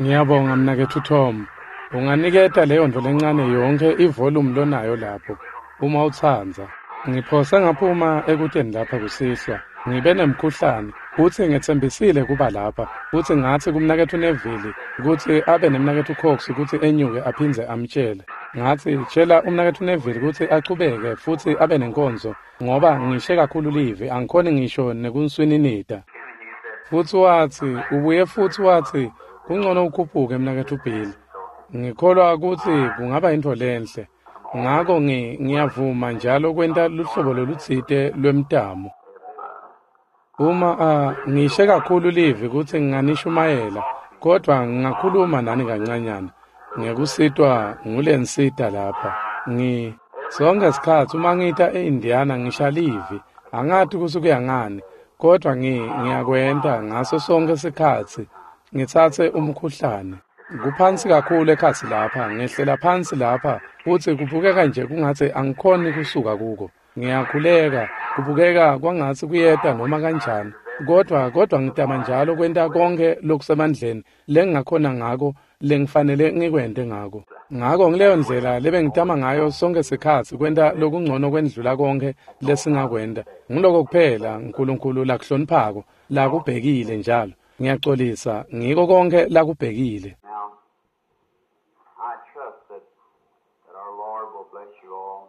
Ngiyabonga mnaketfu Tom. Unganiketa leyontfo lencane yonkhe ivolumu lonayo lapho, uma utsandza. Ngiphose ngaphuma ekuteni lapha kusihlwa. Ngibe nemkhuhlane, futsi ngetsembisile kuba lapha, futsi ngatsi kumnaketfu Neville kutsi abe nemnaketfu Cox kutsi enyuke aphindze amtjele. Ngatsi, tjela umnaketfu Neville kutsi achubeke futsi abe nenkonzo, ngoba ngishe kakhulu livi, angikhoni ngisho nekunswininita. Futsi watsi, ubuye futsi watsi, kungcono ukhuphuke mnaketfu Bill. Ngikholwa kutsi kungaba intfo lenhle. Ngako ngiyavuma njalo kwenta luhlobo lolutsite lwemtamo. Uma ngishe kakhulu livi kutsi nginganishumayela, kodvwa ngingakhuluma nani kancanyana ngekusitwa ngulensita lapha. Sonke sikhatsi uma ngita e-Indiana ngisha livi, angati kutsi kuya ngani, kodvwa ngiyakwenta ngaso sonke sikhatsi ngitsatse umkhuhlane. Kuphansi kakhulu ekhatsi lapha, ngehlela phansi lapha, futsi kubukeka nje kungatsi angikhoni kusuka kuko. Ngiyakhuleka, kubukeka kwangatsi kuyeta noma kanjani, kodvwa ngitama njalo kwenta konkhe lokusemandleni lengingakhona ngako, lengifanele ngikwente ngako. Ngako ngileyo ndlela lebengitama ngayo sonke sikhatsi kwenta lokungcono kwendlula konkhe lesingakwenta. Nguloko kuphela uNkulunkulu lakuhloniphako, lakubhekile njalo. Ngiyaxolisa, ngiko konke lakubhekile. I trust that our Lord will bless you all.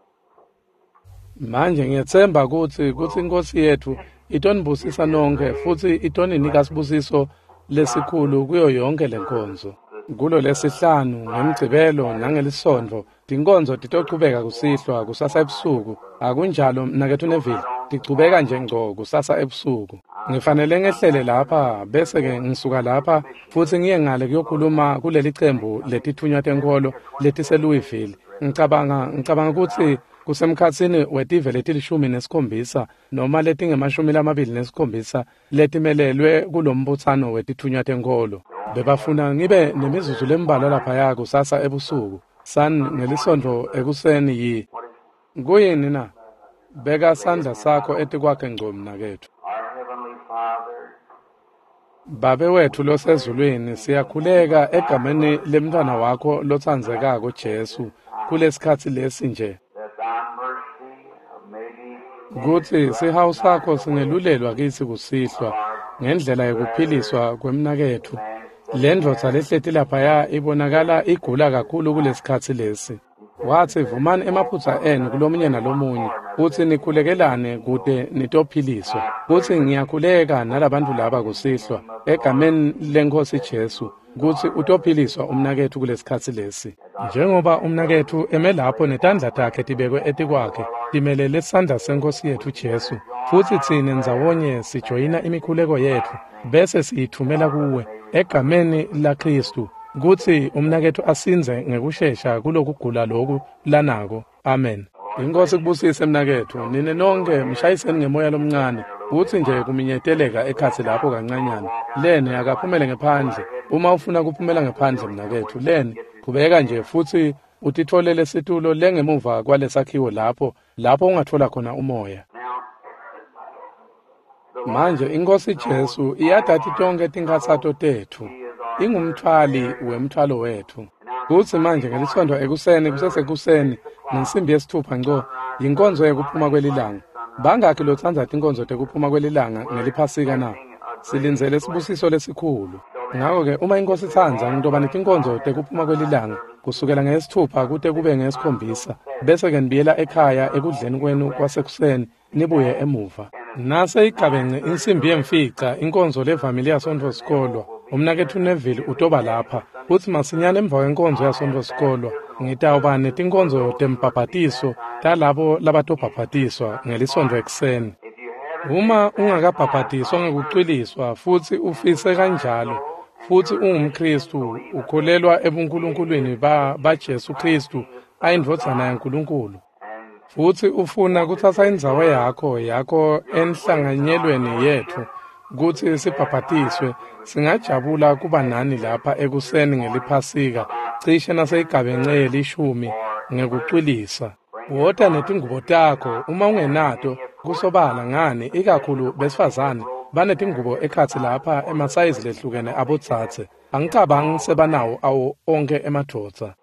Manje ngiyetsemba kutsi iNkosi yetfu itonibusisa nonkhe futsi itoninika sibusiso lesikhulu kuyo yonke lenkonzo. Kulo lesihlanu, ngemgcibelo nangelisonto, tinkonzo titochubeka kusihlwa kusasa ebusuku. Akunjalo mnaketfu Neville, tichubeka nje ngco kusasa ebusuku. Ngifanele ngehlele lapha bese-ke ngisuka lapha futsi ngiye ngale kuyokhuluma kuleli cembu letitfunywa tenkholo letiseLouisville. Ngicabanga kutsi kusemkhatsini wetive leti-17 noma letinge-27 letimelelwe kulombutsano wetitfunywa tenkholo. Bebafuna ngibe nemizuzu lembalwa laphaya kusasa ebusuku. San ngelisonto ekuseni yi. Kuyini na? Beka sandla sakho etikwakhe ngco mnaketfu. Babe wetfu losezulwini, siyakhuleka egameni lemntfwana wakho lotsandzekako Jesu kulesikhatsi lesi nje, kutsi sihawu sakho singelulelwa kitsi kusihlwa ngendlela yekuphiliswa kwemnaketfu. Le ndvodza lehleti laphaya ibonakala igula kakhulu kulesikhatsi lesi. Watsi, vumani emaphutsa enu kulomunye nalomunye, futsi nikhulekelane kute nitophiliswa. Futsi ngiyakhuleka nalabantu laba kusihlwa egameni leNkosi Jesu kutsi utophiliswa umnaketfu kulesikhatsi lesi. Njengoba umnaketfu eme lapho netandla takhe tibekwe etikwakhe, timelele sandla seNkosi yetfu Jesu, futsi tsine ndzawonye sijoyina imikhuleko yetfu bese siyithumela kuwe egameni laKhristu, kutsi umnaketfu asindze ngekushesha kulokugula loku lanako. Amen. Inkosi kubusise mnaketfu. Nine nonke mshayiseni ngemoya lomncane, kutsi nje kuminyeteleka ekhatsi lapho kancanyana. Lene akaphumele ngephandle. Uma ufuna kuphumela ngephandle mnaketfu, lene qhubeka nje futsi utitfolele situlo lengemuva kwalesakhiwo lapho ungathola khona umoya. Manje iNkosi Jesu iyatati tonke tinkhatsato tetfu. Ingumthwali wemthwalo wetfu. Kutsi manje ngelisonto ekuseni kusesekuseni ngensimbi yesithupha ngco yinkonzo yekuphuma kwelilanga. Bangakhi lotsandza tinkonzo tekuphuma kwelilanga ngeliphasika na? Silindzele sibusiso lesikhulu. Ngako-ke uma iNkosi itsandza ngitoba netinkonzo tekuphuma kwelilanga kusukela ngesithupha kute kube ngesikhombisa, bese-ke nibuyela ekhaya ekudleni kwenu kwasekuseni nibuye emuva. Nase igabence insimbi yemfica inkonzo levamile yaSontfo sikolwa, umnaketfu Neville utoba lapha, futsi masinyane emva kwenkonzo yaSontfo sikolwa ngitawuba netinkonzo tembhabhatiso talabo labatobhabhatiswa ngelisonto ekuseni. Uma ungakabhabhatiswa ngekucwiliswa futsi ufise kanjalo, futsi ungumKhristu, ukholelwa ebunkulunkulwini baJesu Khristu ayindvodzana yaNkulunkulu, futsi ufuna kutsatsa indzawo yakho enhlanganyelweni yetfu kutsi sibhabhatiswe, singajabula kuba nani lapha ekuseni ngeliphasika cishe naseyigabence yelishumi ngekucwilisa. Wota netingubo takho uma ungenato, kusobala ngani ikakhulu besifazane Banetingubo ekhatsi lapha emasayizi lehlukene abotsatse. Angicabangi sebanawo awo onkhe emadvodza.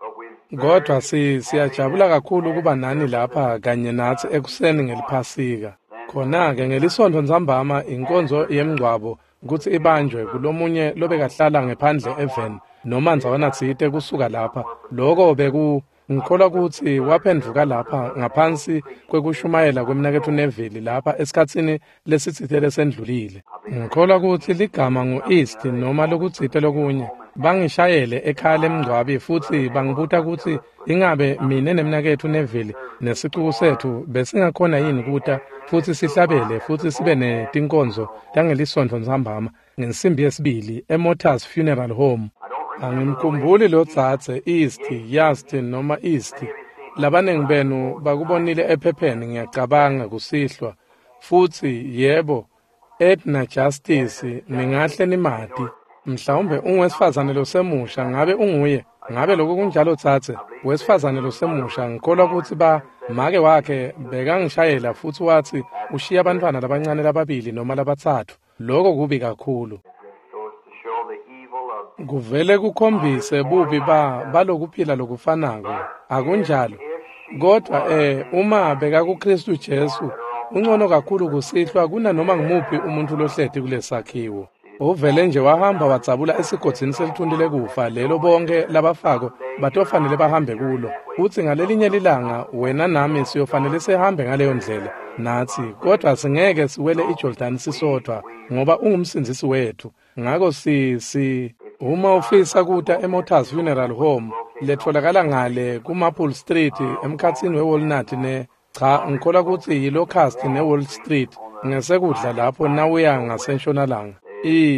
Kodwa siyajabula kakhulu kuba nani lapha kanye natsi ekuseni ngeliphasika. Khona-ke ngelisontfo ntsambama inkonzo yemngcwabo kutsi ibanjwe kulomunye lobekahlala ngephandle eveni noma ndzawana tsite kusuka lapha. Loko beku ngikholwa kutsi waphendvuka lapha ngaphansi kwekushumayela kwemnaketfu Neville lapha esikhatsini lesitsite lesendlulile. Ngikholwa kutsi ligama ngu-East noma lokutsite lokunye. Bangishayele ekhaya lemngcwabi futsi bangibuta kutsi ingabe mine nemnaketfu Neville nesicuku setfu besingakhona yini kuta futsi sihlabele futsi sibe netinkonzo tangelisontfo ntsambama ngensimbi yesibili eMotors Funeral Home. Angimkhumbuli lo dzadze East, Yast noma East. Labanengi benu bakubonile ephepheni ngiyacabanga kusihlwa. Futsi yebo, Edna Justice ningahle nimati. Mhlawumbe ungwesifazane losemusha, ngabe unguye? Ngabe lokho kunjalo dzadze? Wesifazane losemusha, ngikholwa kutsi make wakhe bekangishayela futsi watsi ushiya abantwana labancane lababili noma labatsatfu. Lokho kubi kakhulu. Kuvele kukhombise bubi balokuphila lokufanako. Akunjalo. Kodwa uma bekakuKristu Jesu, ungcono kakhulu kusihlwa kunanoma ngumuphi umuntu lohleti kulesakhiwo. Uvele nje wahamba wadzabula esigodzini selithunti lekufa lelo bonke labafako batofanele bahambe kulo. Utsi ngalelinye lilanga wena nami siyofanele sihambe ngaleyo ndlela natsi, kodwa singeke siwele iJordani sisodwa ngoba ungumsindzisi wethu. Ngako uma ufisa kuta eMotors Funeral Home letfolakala ngale kuMaple Street emkhatsini weWalnut ne cha ngikholwa kutsi yiLocust neWall Street ngesekudla lapho nawuya ngasentshonalanga.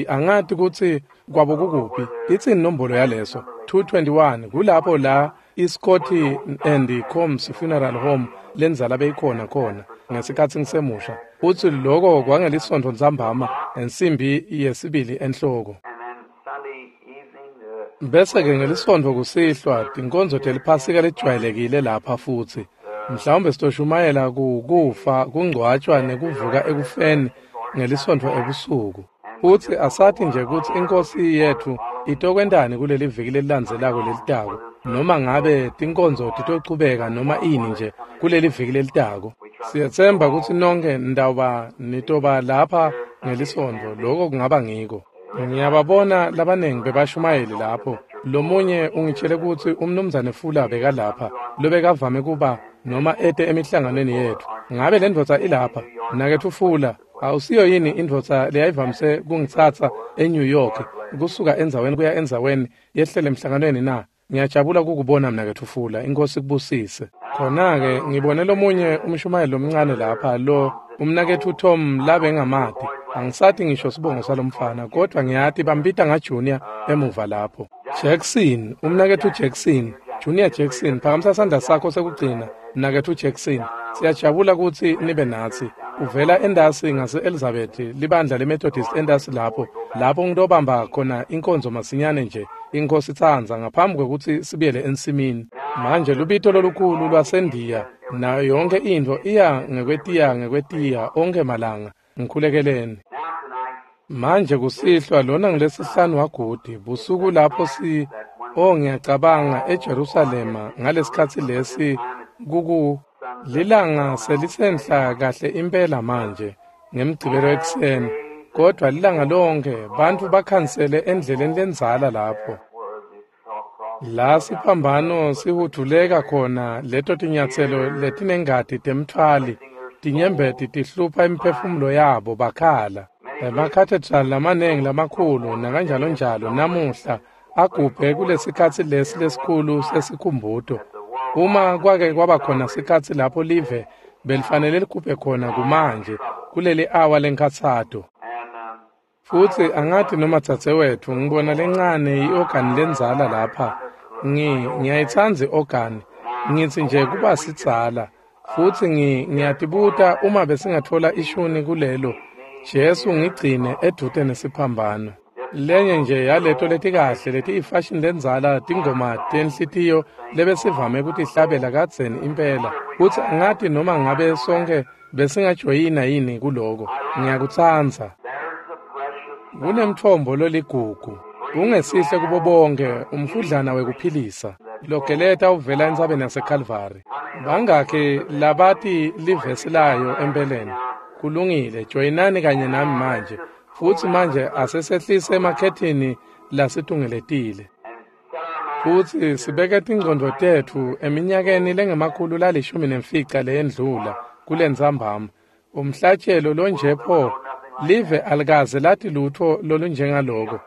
Angati kutsi kwabo kukuphi. Itsini inombolo yaleso? 221 kulapho la iScott and Combs Funeral Home lenzala beyikhona khona ngesikhatsi ngisemusha. Utsi loko kwangelisontfo ntsambama ensimbi yesibili enhloko. Bese-ke ngelisontfo kusihlwa tinkonzo teliphasika lejwayelekile lapha futsi. Mhlawumbe sitoshumayela kufa, kungcwatshwa nekuvuka ekufeni ngelisontfo ebusuku. Futsi asathi nje kutsi inkosi yetfu itokwentani kuleli viki lelilandzelako lelitako, noma ngabe tinkonzo titochubeka noma ini nje kuleli viki lelitako. Siyetsemba kutsi nonke nitoba lapha ngelisontfo, loko kungaba ngiko. Ngiyababona labanengi bebashumayeli lapho. Lomunye ungitshele kutsi umnumzane Fula bekalapha, lobekavame kuba noma ete emihlanganweni yetfu. Ngabe le ndvodza ilapha? Mnaketfu Fula, awusiyo yini indvodza leyayivamise kungitsatsa eNew York kusuka endzaweni kuya endzaweni yehlele emhlanganweni na? Ngiyajabula kukubona mnaketfu Fula, inkosi kubusise. Khona-ke ngibone lomunye umshumayeli lomncane lapha lo umnaketfu Tom labengamati. Angisati ngisho sibongo salomfana, kodwa ngiyati bambita ngaJunior emuva lapho. Jackson, umnaketfu Jackson, Junior Jackson, phakamisa sandla sakho sekugcina, mnaketfu Jackson. Siyajabula kutsi nibe natsi. Uvela endasi ngase-Elizabeth, libandla leMethodist endasi lapho, lapho ngitobamba khona inkonzo masinyane nje, inkosi itsandza, ngaphambi kwekutsi sibuyele ensimini. Manje lubito lolukhulu lwaseNdiya nayo yonke intfo iya ngekwetiya onkhe malanga. Ngikhulekeleni. Manje kusihlwa lona ngilesihlanu wagudi busuku lapho ngiyacabanga eJerusalema ngalesikhatsi lesi kuku lilanga selisenhla kahle impela manje ngemgcibelo ekuseni, kodwa lilanga lonke bantfu bakhansele endleleni lendzala lapho la siphambano sihudvuleka khona leto tinyatselo letinengati temtfwali tinyembeti tihlupha imiphefumulo yabo bakhala. Emakhathedrali lamanengi lamakhulu nakanjalo njalo namuhla agubhe kulesikhatsi lesi lesikhulu sesikhumbuto. Uma kwake kwaba khona sikhatsi lapho live belifanele ligubhe khona kumanje kuleli awa lenkhatsato. Futsi angathi noma dzadzewetfu ngibona lencane i-ogani lendzala lapha. Ngiyayitsandza i-ogani. Ngitsi nje kuba sidzala. Futsi ngiyatibuta uma besingatfola ishuni kulelo. Jesu ngigcine edvute nesiphambano. Lenye nje yaleto letikahle letiyifashion lendzala tingoma tenhlitiyo lebesivame kutihlabela kadzeni impela. Futsi angathi noma ngabe sonke besingajoyina yini kuloko. Ngiyakutsandza. Kunemtfombo loligugu. Kungesihle kubo bonke umfudlana wekuphilisa. Logeleta uvela entsabeni yaseKalvari. Bangakhi labati livesi layo empeleni? Kulungile, joyinani kanye nami manje. Futsi manje asesehlise emakhethini lasitungeletile. Futsi sibeke tingcondvo tetfu eminyakeni lengama-15 leyendlula kulentsambama. Umhlatshelo lonje pho live alikaze lati lutho lolunjengaloko.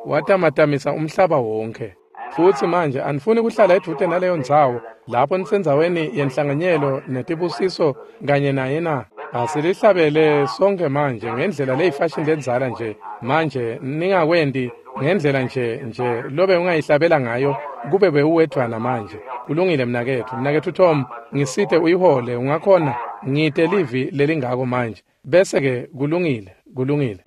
Watamatamisa umhlaba wonke. Futsi manje anifuni kuhlala edvute naleyo ndzawo lapho nisendzaweni yenhlanganyelo netibusiso kanye naye na? Asilihlabele sonke manje ngendlela leyifashini lendzala nje. Manje ningakwendi ngendlela nje lobe ungayihlabela ngayo kube bewuwedvwana manje. Kulungile mnaketfu. Mnaketfu Tom, ngisite uyihole ungakhona ngite livi lelingako manje. Bese ke kulungile, kulungile.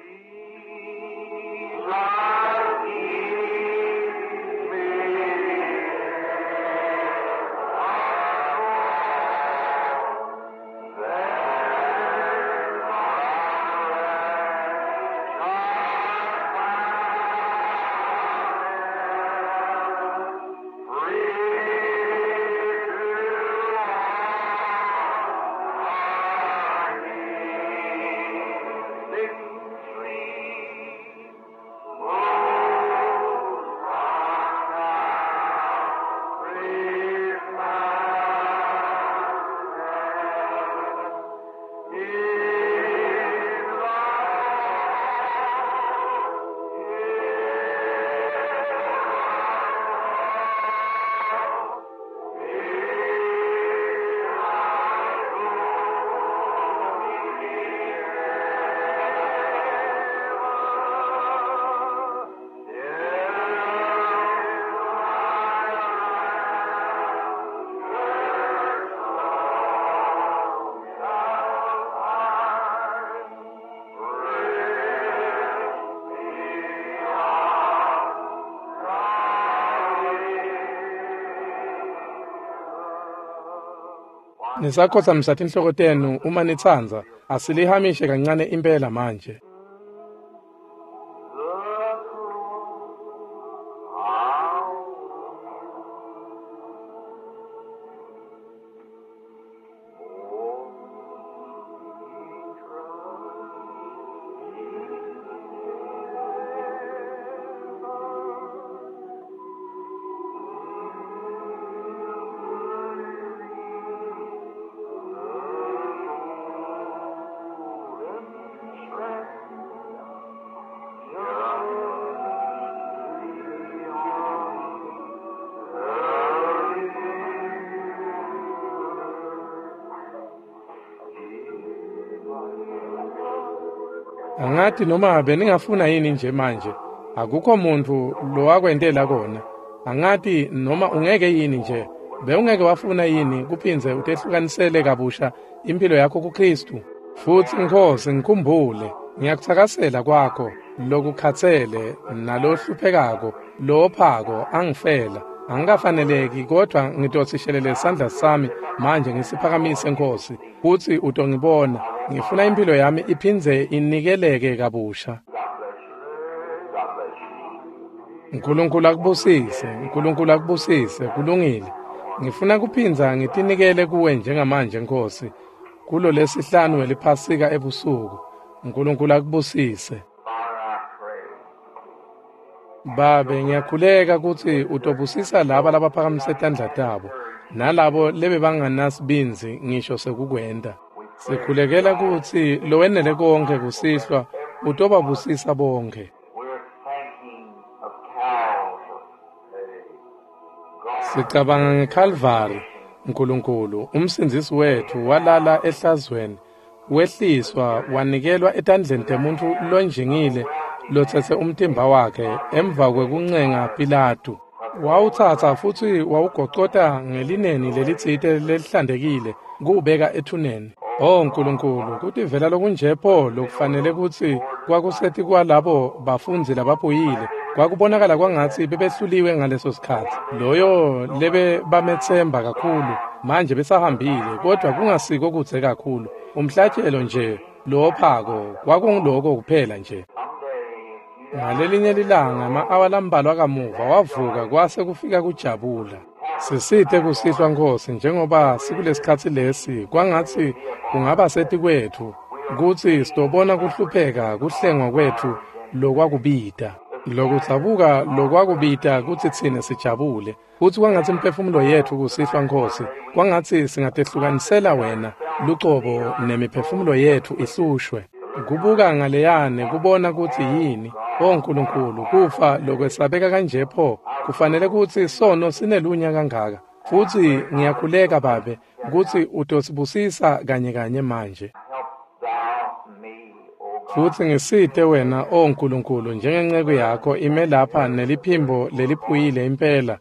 Nisakhotsamisa tinhloko tenu uma nitsandza, asilihamishe kancane impela manje. Angati noma beningafuna yini nje manje. Akukho muntu lowakwentela kona. Angati noma ungeke yini nje. Bewungeke wafuna yini kuphindze utehlukanisele kabusha impilo yakho kuKristu. Futsi Nkosi ngikhumbule, ngiyakutsakasela kwakho lokukhatsele nalohluphekako lophako angifela. Angikafaneleki kodwa ngitosishelele isandla sami manje ngisiphakamise Nkosi kutsi utongibona. Ngifuna impilo yami iphindze inikeleke kabusha. Nkulunkulu akubusise, Nkulunkulu akubusise, kulungile. Ngifuna kuphindza ngitinikele kuwe njengamanje Nkosi. Kulo lesihlanu weliphasika ebusuku. Nkulunkulu akubusise. Babe, ngiyakhuleka kutsi utobusisa laba labaphakamise tandla tabo nalabo lebebanganasibindzi ngisho sekukwenta. Sikhulekela kutsi lowenele konke kusihlwa utobabusisa bonke. Sicabanga ngeKalvari, Nkulunkulu, umsindzisi wetfu walala ehlazweni, wehliswa wanikelwa etandleni temuntfu lonjingile lotsetse umtimba wakhe emva kwekuncenga Pilatu. Wawutsatsa futsi wawugocota ngelineni lelitsite lelihlantekile kuwubeka ethuneni. Oh Nkulunkulu, kutivela lokunje pho lokufanele kutsi kwakuseti kwalabo bafundzi labaphuyile. Kwakubonakala kwangatsi bebehluliwe ngaleso sikhatsi. Loyo lebe bametsemba kakhulu manje besahambile, kodwa kungasiko kudze kakhulu. Umhlatshelo nje lophako kwakunguloko kuphela nje. Ngalelinye lilanga ema-awa lambalwa kamuva wavuka kwase kufika kujabula. Sisite kusihlwa Nkhosi njengoba sikulesikhatsi lesi kwangatsi kungaba setikwetfu kutsi sitobona kuhlupheka kuhlengwa kwetfu lokwakubita. Lokudzabuka lokwakubita kutsi tsine sijabule. Futsi kwangatsi imiphefumulo yetfu kusihlwa Nkhosi, kwangatsi singatehlukanisela wena lucobo nemiphefumulo yetfu ihlushwe. Kubuka ngaleyane kubona kutsi yini, O Nkulunkulu, kufa lokwesabeka kanje pho, kufanele kutsi sono sinelunya kangaka. Futsi ngiyakhuleka Babe kutsi utosibusisa kanye kanye manje. Help thou me, O God. Futsi ngisite wena, O Nkulunkulu, njengenceku yakho ime lapha neliphimbo leliphuyile impela,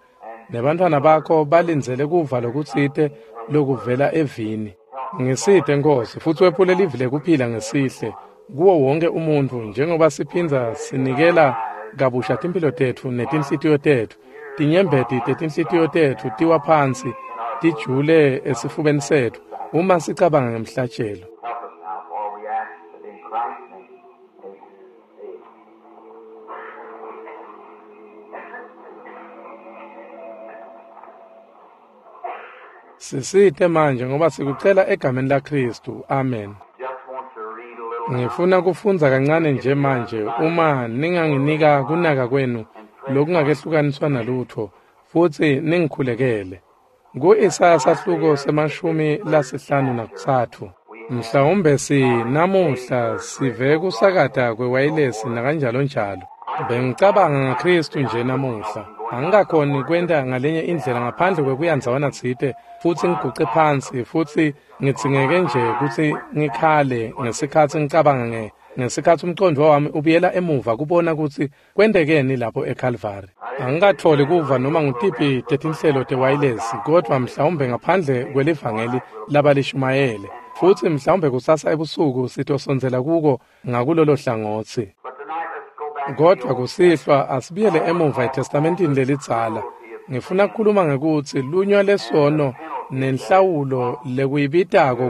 nebantfwana bakho balindzele kuva lokutsite lokuvela evini. Ngisite Nkhosi, futsi wephule livi lekuphila ngesihle kuwo wonke umuntfu njengoba siphindza sinikela kabusha timphilo tetfu netinhlitiyo tetfu. Tinyembeti tetinhlitiyo tetfu tiwa phansi tijule esifubeni setfu uma sicabanga ngemhlatjelo. Help us now, for we ask it in Christ's name. Amen. Sisite manje ngoba sikucela egameni laKhristu. Amen. Just want to read a little Ngifuna kufundza kancane nje manje uma ninganginika kunaka kwenu lokungakehlukaniswa nalutho futsi ningikhulekele. Ku-Isaya sahluko se-53. Mhlawumbe namuhla sive kusakata kwewayilesi nakanjalo njalo. Bengicabanga ngaKhristu nje namuhla. Angikakhoni kwenta ngalenye indlela ngaphandle kwekuya ndzawana tsite futsi ngiguce phansi futsi ngidzingeke nje kutsi ngikhale ngesikhatsi ngicabanga ngesikhatsi umcondvo wami ubuyela emuva kubona kutsi kwentekeni lapho eKalvari. Angikatfoli kuva noma ngutiphi tetinhlelo tewayilesi kodvwa mhlawumbe ngaphandle kwelivangeli labalishumayele. Futsi mhlawumbe kusasa ebusuku sitosondzela kuko ngakulolo hlangotsi. But tonight let's go back to Kodvwa kusihlwa asibuyele emuva eTestamentini lelidzala. Ngifuna ukukhuluma ngekutsi lunywa lesono nenhlawulo lekuyibitako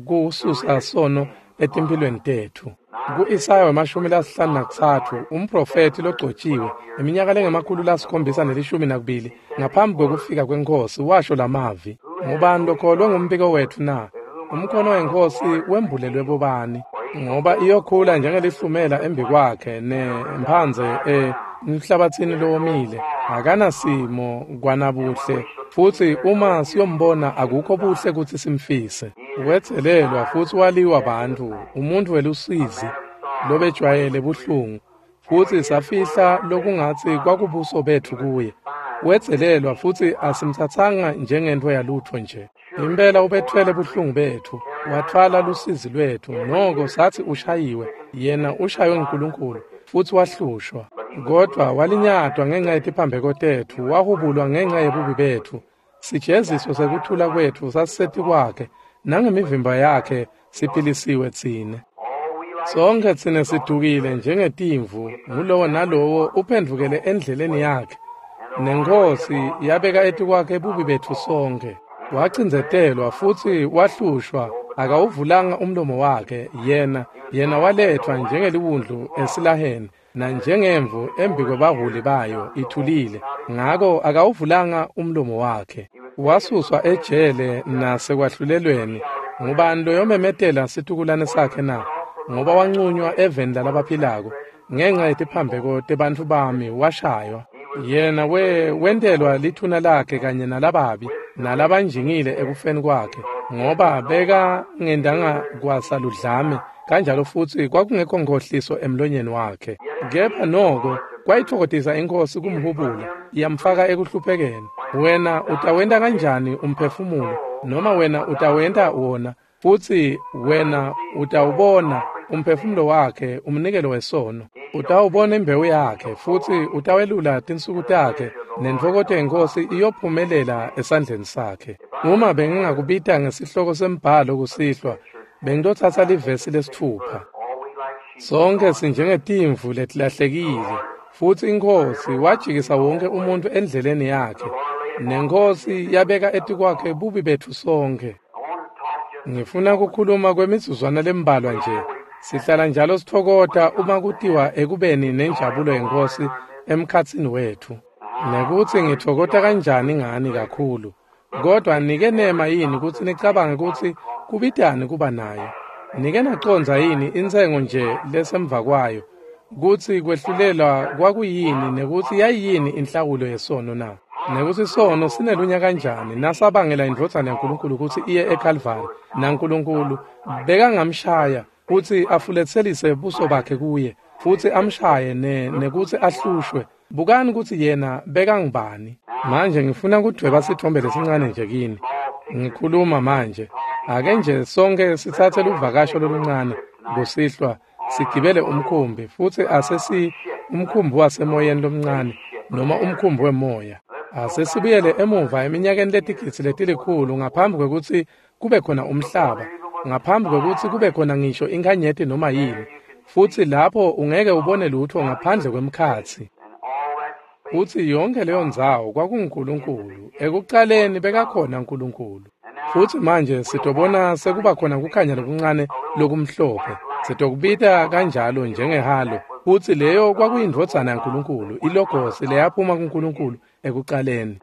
kususa sono etimphilweni tetfu. Ku-Isaya 53 umprofethi logcotshiwe iminyaka le-712 ngaphambi kwekufika kweNkhosi washo lamavi. Ngubani lokholwe ngumbiko wetfu na? Umkhono weNkhosi wembulelwe bobani? Ngoba iyokhula njengelihlumela embikwakhe nemphandze emhlabatsini lowomile. Akanasimo kwanabuhle futsi uma siyombona akukho buhle kutsi simfise. Wetselelwa futsi waliwa bantfu, umuntfu welusizi lobejwayele buhlungu, futsi safihla lokungatsi kwakubuso betfu kuye. Wetselelwa futsi asimtsatsanga njengentfo yalutfo nje. Impela ubethwele buhlungu betfu, wathwala lusizi lwetfu, noko satsi ushayiwe, yena ushaywe nguNkulunkulu futsi wahlushwa. Kodvwa walinyatwa ngenca yetiphambeko tetfu, wahubulwa ngenca yebubi betfu. Sijeziso sekuthula kwetfu sasisetikwakhe, nangemivimba yakhe siphilisiwe tsine. all we like Sonke tsine sidukile njengetimvu, ngulowo nalowo uphendvukele endleleni yakhe. Nenkhosi yabeka etikwakhe bubi betfu sonke. Wacindzetelwa futsi wahlushwa, akawuvulanga umlomo wakhe. Yena waletfwa njengeliwundlu esilaheni, nanjengemvu embikwebahhuli bayo ithulile. Ngako akawuvulanga umlomo wakhe. Wasuswa ejele nasekwahlulelweni. Ngubani loyomemetela situkulwane sakhe na? Ngoba wancunywa eveni lalabaphilako. Ngenca yetiphambeko tebantfu bami washaywa. Yena wentelwa lithuna lakhe kanye nalababi nalabanjingile ekufeni kwakhe, ngoba bekangendanga kwasaludlame kanjalo futsi kwakungekho nkhohliso emlonyeni wakhe. Kepha noko kwayitfokotisa iNkhosi kumhubula, yamfaka ekuhluphekeni. Wena utawenta kanjani umphefumulo, noma wena utawenta wona, futsi wena utawubona umphefumulo wakhe umnikelo wesono. Utawubona imbewu yakhe futsi utawelula tinsuku takhe, nentfokoto yeNkhosi iyophumelela esandleni sakhe. Uma bengingakubita ngesihloko sembhalo kusihlwa, bengitotsatsa livesi 6. all we like sheep. Sonke sinjengetimvu letilahlekile, futsi iNkhosi wajikisa wonke umuntfu endleleni yakhe, neNkhosi yabeka etikwakhe bubi betfu sonke. I want to talk just Ngifuna ukukhuluma kwemizuzwana lembalwa nje. Sihlala njalo sitfokota uma kutiwa ekubeni nenjabulo yeNkhosi emkhatsini wetfu. Nekutsi ngitfokota kanjani ngani kakhulu. Kodwa nike nema yini kutsi nicabange kutsi kubitani kuba nayo? Nike nacondza yini intsengo nje lesemva kwayo? Kutsi kwehlulelwa kwakuyini nekutsi yayiyini inhlawulo yesono na? Nekutsi sono sinelunya kanjani nasabangela indvodzana yaNkulunkulu kutsi iye eKalvari, naNkulunkulu bekangamshaya kutsi afuletselise buso bakhe kuye futsi amshaye nekutsi ahlushwe. Bukani kutsi yena bekangubani. Manje ngifuna kudvweba sitfombe lesincane nje kini. Ngikhuluma manje. Ake nje sonke sitsatse luvakasho loluncane kusihlwa sigibele umkhumbi futsi asesi umkhumbi wasemoyeni lomncane noma umkhumbi wemoya. Asesibuyele emuva eminyakeni letigidzi letilikhulu ngaphambi kwekutsi kube khona umhlaba, ngaphambi kwekutsi kube khona ngisho inkhanyeti noma yini, futsi lapho ungeke ubone lutho ngaphandle kwemkhatsi. Futsi yonke leyo ndzawo kwakunguNkulunkulu. Ekucaleni bekakhona uNkulunkulu. Futsi manje sitobona sekuba khona kukhanya lokuncane lokumhlophe. Sitokubita kanjalo njengehalo. Futsi leyo kwakuyindvodzana yaNkulunkulu, ilogosi leyaphuma kuNkulunkulu ekucaleni.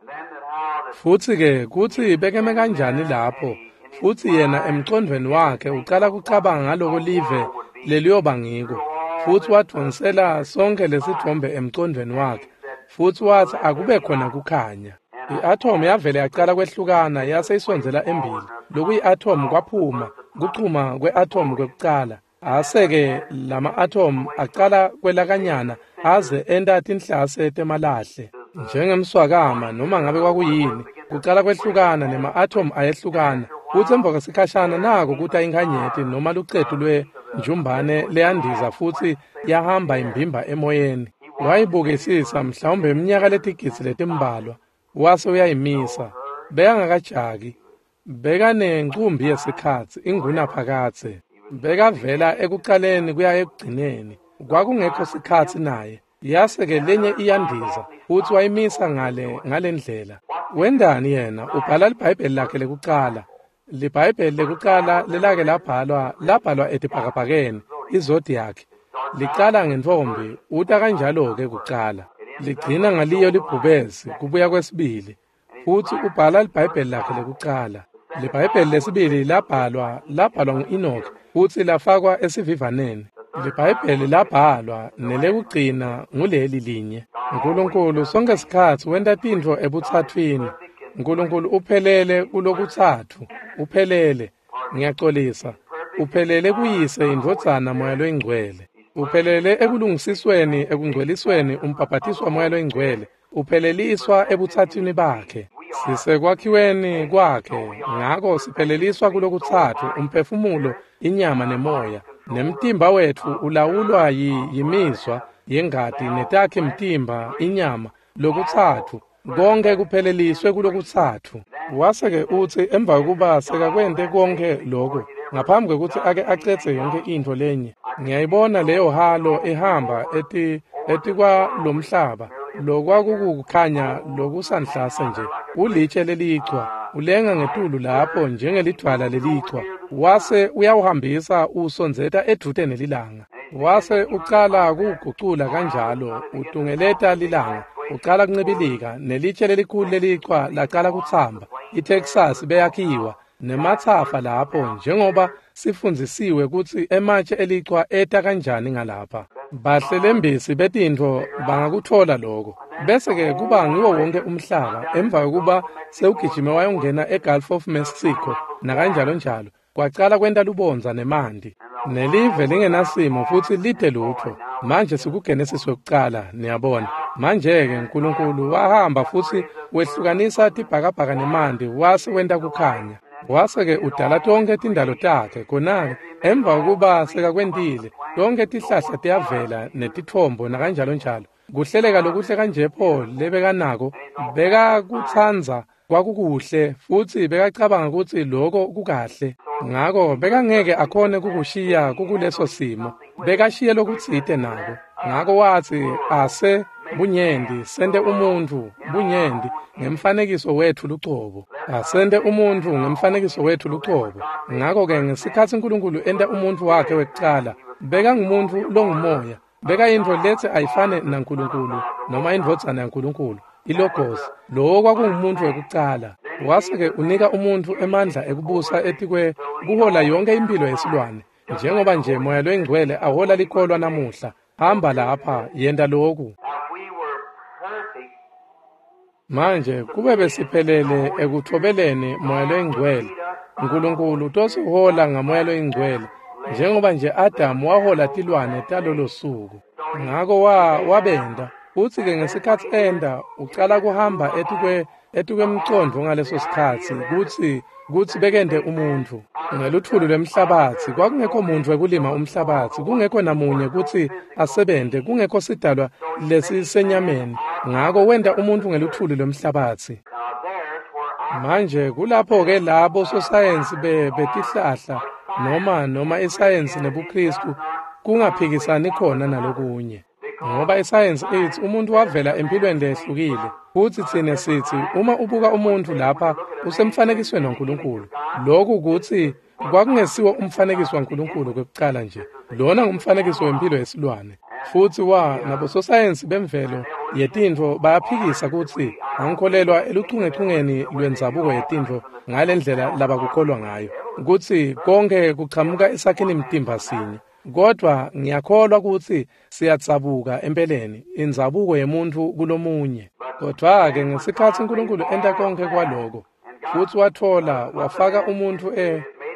Futsi-ke kutsi bekeme kanjani lapho, futsi yena emcondvweni wakhe ucala kucabanga ngaloko live leliyoba ngiko. Futsi wadvonsela sonke lesitfombe emcondvweni wakhe. Futsi watsi akube khona kukhanya. I-athomu yavele yacala kwehlukana yase isondzela embili. Lokuyi-athomu kwaphuma, kuchuma kwe-athomu kwekucala. Ase-ke lama-athomu acala kwelakanyana aze enta tinhlase temalahle. Njengemswakama noma ngabe kwakuyini, kucala kwehlukana nema-athomu ayehlukana. Futsi emva kwesikhashana nako kuta inkhanyeti noma lucetu lwenjumbane leyandiza futsi yahamba imbimba emoyeni. Wayibukisisa mhlawumbe iminyaka letigidzi letimbalwa, wase uyayimisa. Bekangakajaki, bekanencumbi yesikhatsi ingunaphakadze. Bekavela ekucaleni kuya ekugcineni. Kwakungekho sikhatsi naye. Yase-ke lenye iyandiza, futsi wayimisa ngalendlela. Wendani yena? Ubhala liBhayibheli lakhe lekucala. LiBhayibheli lekucala lelake labhalwa etibhakabhakeni, izodiac. Licala ngentfombi, uta kanjalo-ke kucala. Ligcina ngaliyo libhubesi, kubuya kwesibili. Futsi ubhala liBhayibheli lakhe lekucala. LiBhayibheli lesibili labhalwa ngu-Enoch futsi lafakwa esivivaneni. LiBhayibheli labhalwa nelekugcina nguleli linye. Nkulunkulu sonke sikhatsi wenta tintfo ebutsatswini. Nkulunkulu uphelele kulokutsatfu, uphelele. Ngiyacolisa. Uphelele kuyise indvodzana Moya loyiNgcwele. Uphelele ekulungisisweni, ekungcwelisweni, umbhabhatiswa Moya loyiNgcwele. Upheleliswa ebutsatswini bakhe. Sisekwakhiweni kwakhe, ngako sipheleliswa kulokutsatfu, umphefumulo, inyama nemoya. Nemtimba wetfu ulawulwa yimizwa yengati netakhi mtimba, inyama, lokutsatfu. Konke kupheleliswe kulokutsatfu. Wase-ke utsi emva kokuba sekakwente konke lokho, ngaphambi kwekutsi ake acedze yonke intfo lenye, ngiyayibona leyo halo ihamba etikwalomhlaba, lokwakukukhanya lokusanhlase nje, ulitshe lelichwa, ulenga ngetulu lapho njengelidvwala lelichwa, wase uyawuhambisa usondzeta edvute nelilanga. Wase ucala kugucula kanjalo, utungeleta lilanga, ucala kuncibilika, nelitshe lelikhulu lelichwa lacala kutsamba. ITexas beyakhiwa nematsafa lapho, njengoba sifundzisiwe kutsi ematshe elichwa eta kanjani ngalapha. Bahlelembisi betintfo bangakutfola lokho. Bese-ke kuba ngiwo wonke umhlaba emva kokuba sewugijime wayongena eGulf of Mexico nakanjalo njalo. Kwacala kwenta lubondza nemanti. Nelive lingenasimo futsi lite lutfo. Manje sikuGenesis wekucala, niyabona. Manje-ke Nkulunkulu wahamba futsi wehlukanisa tibhakabhaka nemanti wase wenta kukhanya. Wase-ke udala tonkhe tindalo takhe. Khona-ke emva kokuba sekakwentile, tonkhe tihlahla tiyavela netitfombo nakanjalo njalo. Kuhleleka lokuhle kanje pho lebekanako, bekakutsandza kwakukuhle futsi bekacabanga kutsi loko kukahle. Ngako bekangeke akhone kukushiya kukuleso simo. Bekashiye lokutsite nako. Ngako watsi ase bunyenti sente umuntfu bunyenti ngemfanekiso wetfu lucobo. Asente umuntfu ngemfanekiso wetfu lucobo. Ngako-ke ngesikhatsi Nkulunkulu enta umuntfu wakhe wekucala, Bekangumuntu longumoya. Bekayintfo letsi ayifane naNkulunkulu noma indvodzana yaNkulunkulu, ilogos. Lowo kwakungumuntu wekucala. Wase-ke unika umuntfu emandla ekubusa etikwe kuhola yonkhe imphilo yesilwane. Njengoba nje Moya loyiNgcwele ahola likholwa namuhla. Hamba lapha, yenta loku. Manje kube besiphelele ekutfobeleni Moya loyiNgcwele. Nkulunkulu utosihola ngaMoya loyiNgcwele njengoba nje Adamu wahola tilwane talolo suku. Ngako wabenda. Futsi-ke ngesikhatsi enda ucala kuhamba etikwemcondvo ngaleso sikhatsi kutsi bekente umuntfu. Ngelutfuli lwemhlabatsi kwakungekho muntfu wekulima umhlabatsi, kungekho namunye kutsi asebente, kungekho sidalwa lesisenyameni. Ngako wenta umuntfu ngelutfuli lwemhlabatsi. Manje kulapho-ke labo sosayensi betihlahla noma isayensi nebuKristu kungaphikisani khona nalokunye. Ngoba isayensi ithi umuntu wavela empilweni lehlukile, futsi tsine sithi uma ubuka umuntfu lapha usemfanekisweni waNkulunkulu. Lokhu kutsi kwakungesiwo umfanekiso waNkulunkulu kwekucala nje. Lona ngumfanekiso wempilo yesilwane. Futsi nabososayensi bemvelo yetintfo bayaphikisa kutsi angikholelwa eluchungechungeni lwendzabuko yetintfo ngalendlela labakukholwa ngayo, kutsi konke kuchamuka esakhini mtimba sinye. Kodwa ngiyakholwa kutsi siyadzabuka empeleni indzabuko yemuntfu kulomunye. Kodwa-ke ngesikhatsi uNkulunkulu enta konke kwaloko, futsi watfola wafaka umuntfu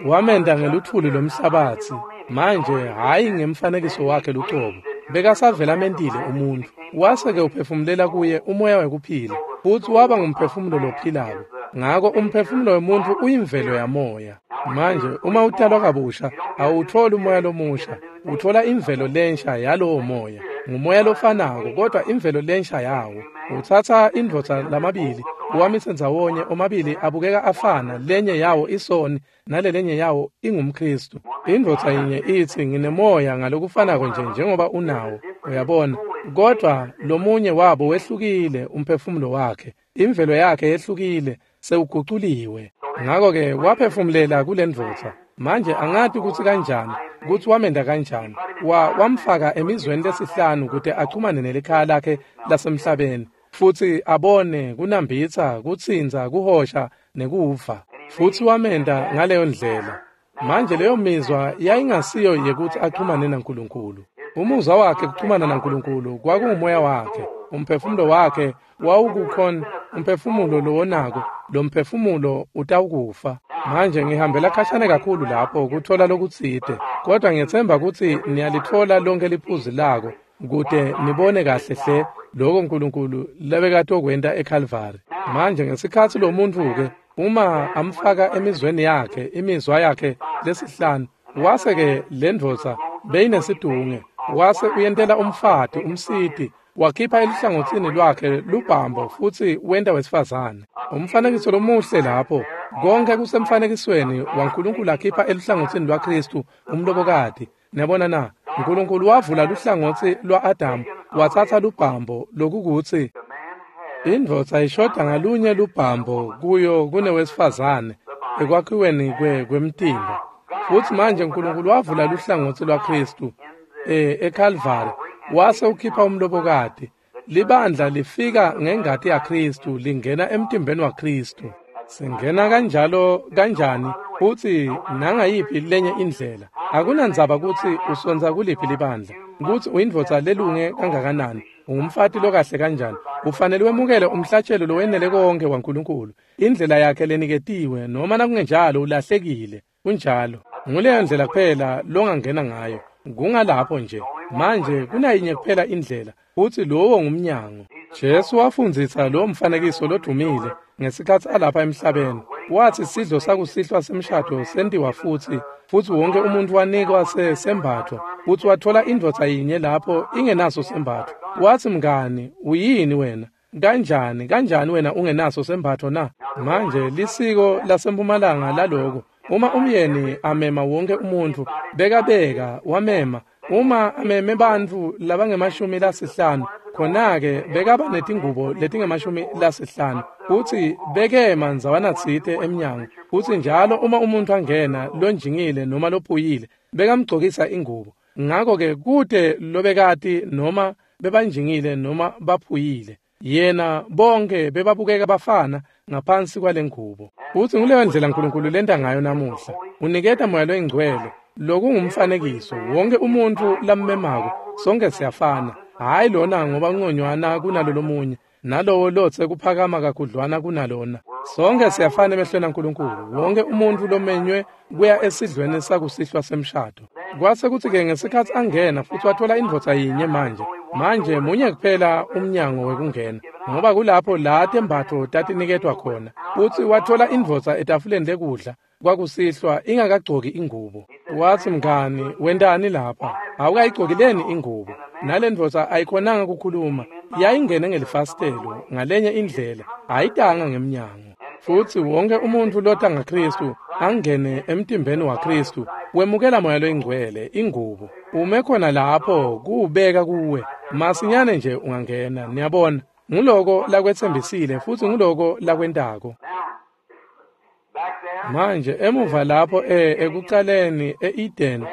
wamenta ngelutfuli lwemhlabatsi, manje hhayi ngemfanekiso wakhe lucobo. Bekasavele amentile umuntfu, wase-ke uphefumulela kuye umoya wekuphila, futsi waba ngumphefumulo lophilako. Ngako umphefumulo wemuntfu uyimvelo yamoya. Manje uma utalwa kabusha awutfoli umoya lomusha, utfola imvelo lensha yalowo moya. Ngumoya lofanako kodwa imvelo lensha yawo. Utsatsa indvodza lamabili uwamise ndzawonye, omabili abukeka afana, lenye yawo isoni nalelenye yawo ingumKristu. Indvodza yinye itsi nginemoya ngalokufanako nje njengoba unawo, uyabona, kodwa lomunye wabo wehlukile umphefumulo wakhe, imvelo yakhe yehlukile, sewuguculiwe. Ngako-ke waphefumulela kulendvodza. Manje angati kutsi kanjani, kutsi wamenda kanjani. Wamfaka emizweni lesihlanu kute achumane nelikhaya lakhe lasemhlabeni, futsi abone kunambitsa, kutsintsa, kuhosha nekuva. Futsi wamenda ngaleyo ndlela. Manje leyo mizwa yayingasiyo yekutsi achumane naNkulunkulu. Umuzwa wakhe kuchumana naNkulunkulu kwakungumoya wakhe. Umphefumulo wakhe wawukukhona, umphefumulo lowonako, lo mphefumulo utawukufa. Manje ngihambela khashane kakhulu lapho kuthola lokutsite, kodwa ngiyetsemba kutsi niyalitfola lonke liphuzu lako kute nibone kahle hle lokho uNkulunkulu lebekatokwenta eKalvari. Manje ngesikhatsi lo muntfu-ke uma amfaka emizweni yakhe, imizwa yakhe lesihlanu, wase-ke le ndvodza beyinesidunge, wase uyentela umfati umsiti, wakhipha eluhlangotsini lwakhe lubhambo futsi wenta wesifazane. Umfanekiso lomuhle lapho, konke kusemfanekisweni waNkulunkulu akhipha eluhlangotsini lwaKristu umlobokati. Niyabona na? uNkulunkulu wavula luhlangotsi lwa-Adamu, watsatsa lubhambo lokukutsi indvodza ishoda ngalunye lubhambo kuyo kunewesifazane ekwakhiweni kwemtimba. Futsi manje uNkulunkulu wavula luhlangotsi lwaKristu eKalvari, wase ukhipha umlobokati. Libandla lifika ngengati yaKristu, lingena emtimbeni waKristu. Singena kanjalo kanjani futsi nangayiphi lenye indlela? Akunandzaba kutsi usonza kuliphi libandla, kutsi uyindvodza lelunge kangakanani, ungumfati lokahle kanjani, ufanele wemukele umhlatshelo lowenele konke waNkulunkulu, indlela yakhe leniketiwe, noma nakungenjalo ulahlekile. Kunjalo. Nguleyo ndlela kuphela longangena ngayo. Kungalapho nje. Manje kunayinye kuphela indlela, futsi lowo ngumnyango. Jesu wafundzisa lo mfanekiso lodumile ngesikhatsi alapha emhlabeni. Watsi sidlo sakusihlwa semshado sentiwa futsi wonke umuntu wanikwa sembatfo, futsi watfola indvodza yinye lapho ingenaso sembatfo. Watsi, mngani, uyini wena? Kanjani wena ungenaso sembatfo na? Manje lisiko lasempumalanga laloko. Uma umyeni amema wonke umuntu, bekabeka wamema. Uma ameme bantfu labangemashumi lasihlanu, khona-ke bekaba netingubo letingemashumi lasihlanu, futsi bekema ndzawanatsite emnyango. Futsi njalo uma umuntu angena lonjingile noma lophuyile, bekamgcokisa ingubo. Ngako-ke kute lobekati noma bebanjingile noma baphuyile. Yena bonke bebabukeka bafana ngaphansi kwalengubo. Futsi nguleyo ndlela Nkulunkulu lenta ngayo namuhla. Uniketa Moya loyiNgcwele, lokungumfanekiso. Wonke umuntfu lammemako, sonke siyafana. Hhayi lona ngoba ungconywana kunalo lomunye, nalowo lotse kuphakama kakhudlwana kunalona. Sonke siyafana emehlweni aNkulunkulu. Wonke umuntfu lomenywe kuya esidlweni sakusihlwa semshado. Kwase kutsi-ke ngesikhatsi angena futsi wathola indvodza yinye manje. Manje munye kuphela umnyango wekungena, ngoba kulapho la tembatfo tatiniketwa khona. Futsi wathola indvodza etafuleni lekudla kwakusihlwa ingakagcoki ingubo. Watsi, mngani, wentani lapha? Awukayigcoki leni ingubo? Nale ndvodza ayikhonanga kukhuluma. Yayingene ngelifasitelo ngalenye indlela, ayitanga ngemnyango. Futsi wonke umuntfu lota ngaKhristu angene emtimbeni waKhristu wemukela Moya loyiNgcwele, ingubo. Ume khona lapho kuwubeka kuwe. Masinyane nje ungangena, niyabona. Nguloko lakwetsembisile futsi nguloko lakwentako. Manje emuva lapho ekucaleni e-Eden,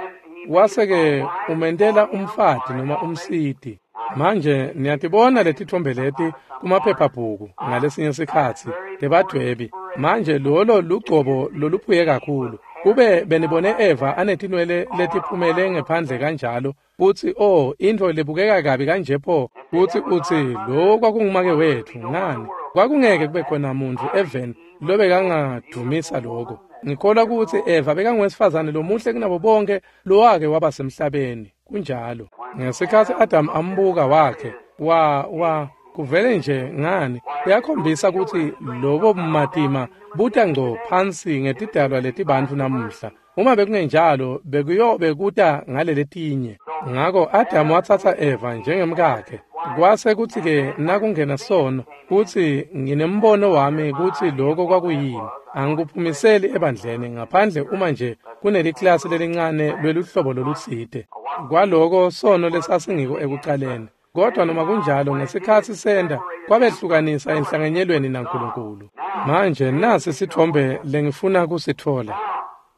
wase-ke umentela umfati noma umsiti. Manje niyatibona letitfombe leti kumaphephabhuku ngalesinye sikhatsi tebadvwebi. Manje lolo lugcobo loluphuye kakhulu. Kube benibone Eva anetinwele letiphumele ngephandle kanjalo, futsi oh, intfo lebukeka kabi kanje pho, futsi utsi lo kwakungumake wetfu. Ngani, kwakungeke kube khona muntfu eveni lobekangadvumisa lokho. Ngikholwa kutsi Eva bekanguwesifazane lomuhle kunabo bonke lowake waba semhlabeni. Kunjalo. Ngesikhatsi Adam ambuka wakhe, wa kuvele nje ngani, kuyakhombisa kutsi lobo bumatima buta ngco phansi ngetidalwa letibantfu namuhla. Uma bekungenjalo, bekuyobe kuta ngaleletinye. Ngako Adam watsatsa Eva njengemkakhe. Kwase kutsi-ke nakungena sono, kutsi nginembono wami kutsi lokho kwakuyini. Angikuphumiseli ebandleni ngaphandle uma nje kuneliklasi lelincane lweluhlobo lolutsite. Kwaloko sono lesasingiko ekucaleni. Kodwa noma kunjalo ngesikhatsi senda kwabehlukanisa enhlanganyelweni naNkulunkulu. Manje nasi sitfombe lengifuna kusitfola.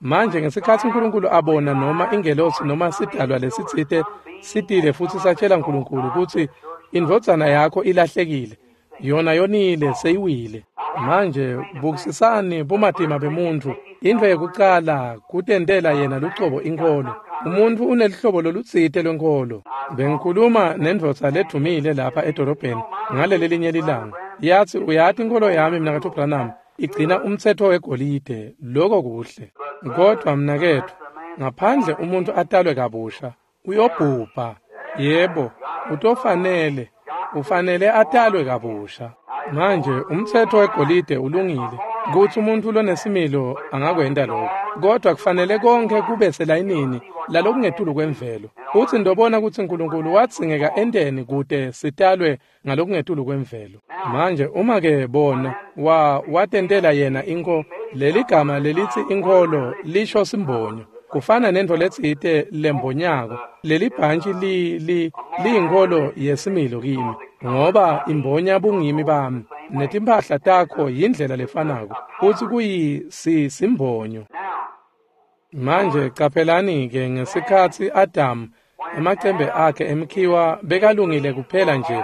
Manje ngesikhatsi uNkulunkulu abona noma ingelosi noma sidalwa lesitsite sitile futsi satshela uNkulunkulu kutsi indvodzana yakho ilahlekile, yona yonile, seyiwile. Manje bukisisani bumatima bemuntfu. Intfo yekucala kutentela yena lucobo inkholo. Umuntfu unelihlobo lolutsite lwenkholo. Bengikhuluma nendvodza ledumile lapha edolobheni ngaleli lilanga. Yatsi, uyati inkholo yami mnaketfu Branham igcina umtsetfo wegolide. Lokho kuhle. Kodwa mnaketfu, ngaphandle umuntu atalwe kabusha, uyobhubha. Yebo, utofanele, ufanele atalwe kabusha. Manje umtsetfo wegolide ulungile kutsi umuntu lonesimilo angakwenta lokho, kodwa kufanele konke kube selayinini lalokungetulu kwemvelo. Futsi ndobona kutsi uNkulunkulu wadzingeka enteni kute sitalwe ngalokungetulu kwemvelo. Manje uma-ke bona watentela yena inkholo, leligama lelitsi inkholo lisho simbonyo. Kufana nentfo letsite lembonyako. Lelibhantshi liyinkholo yesimilo kimi, ngoba imbonya bungimi bami. Netimphahla takho yindlela lefanako, futsi kuyisimbonyo. Manje caphelani-ke ngesikhatsi Adam emacembe akhe emkhiwa bekalungile kuphela nje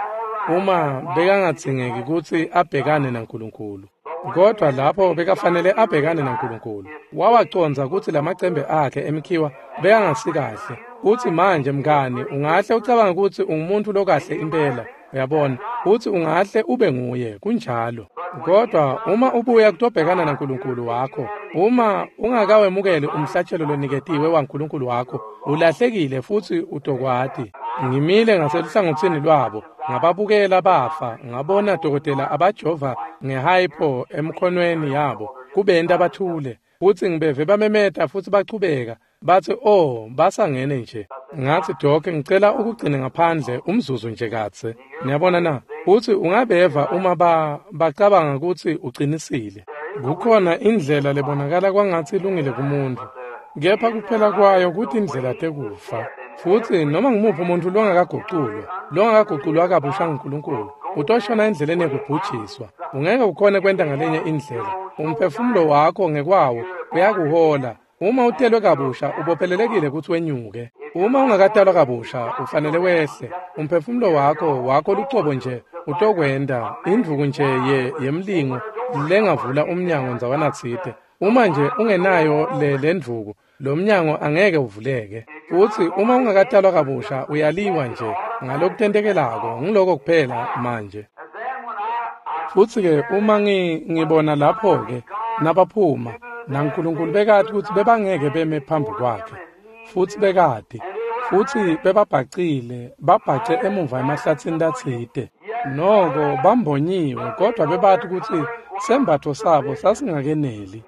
uma bekangadzingeki kutsi abhekane naNkulunkulu. Kodwa lapho bekafanele abhekane naNkulunkulu, wawacondza kutsi lamacembe akhe emkhiwa bekangasikahle. Utsi manje mngani, ungahle ucabange kutsi ungumuntu lokahle impela, uyabona, utsi ungahle ube nguye, kunjalo. Kodwa uma ubuya kutobhekana naNkulunkulu wakho, uma ungakawemukeli umhlatshelo loniketiwe waNkulunkulu wakho, ulahlekile futsi utokwati. Ngimile ngaseluhlangotsini lwabo, ngababukela bafa, ngabona dokotela abajova ngehypo emkhonweni yabo, kubenta bathule, futsi ngibeve bamemeta futsi bachubeka, batsi oh, basangene nje. Ngatsi Doc, ngicela ukugcine ngaphandle umzuzu nje katse. Niyabona na? Utsi ungabeva uma bacabanga kutsi uqinisile. Kukhona indlela lebonakala kwangatsi ilungile kumuntu, kepha kuphela kwayo kutindlela tekufa. Futsi noma ngumuphi umuntu longakaguculwa kabusha nguNkulunkulu, utoshona endleleni yekubhujiswa. Ungeke ukhone kwenta ngalenye indlela. Umphefumulo wakho ngekwawo uyakuhola. Uma utelwe kabusha ubophelelekile kutsi wenyuke. Uma ungakatalwa kabusha, ufanele wehle. Umphefumulo wakho lucobo nje utokwenta indvuku nje yemlingo lengavula umnyango ndzawanatsite. Uma nje ungenayo le ndvuku, lo mnyango angeke uvuleke. Futsi uma ungakatalwa kabusha, uyaliwa nje ngalokutentekelako. Ngiloko kuphela manje. Futsi-ke uma ngibona lapho-ke nabaphuma, naNkulunkulu bekati kutsi bebangeke beme phambi kwakhe. Futsi bekati, futsi bebabhacile, babhace emuva emahlatsini latsite. Noko bambonyiwe, kodwa bebati kutsi sembatfo sabo sasingakeneli.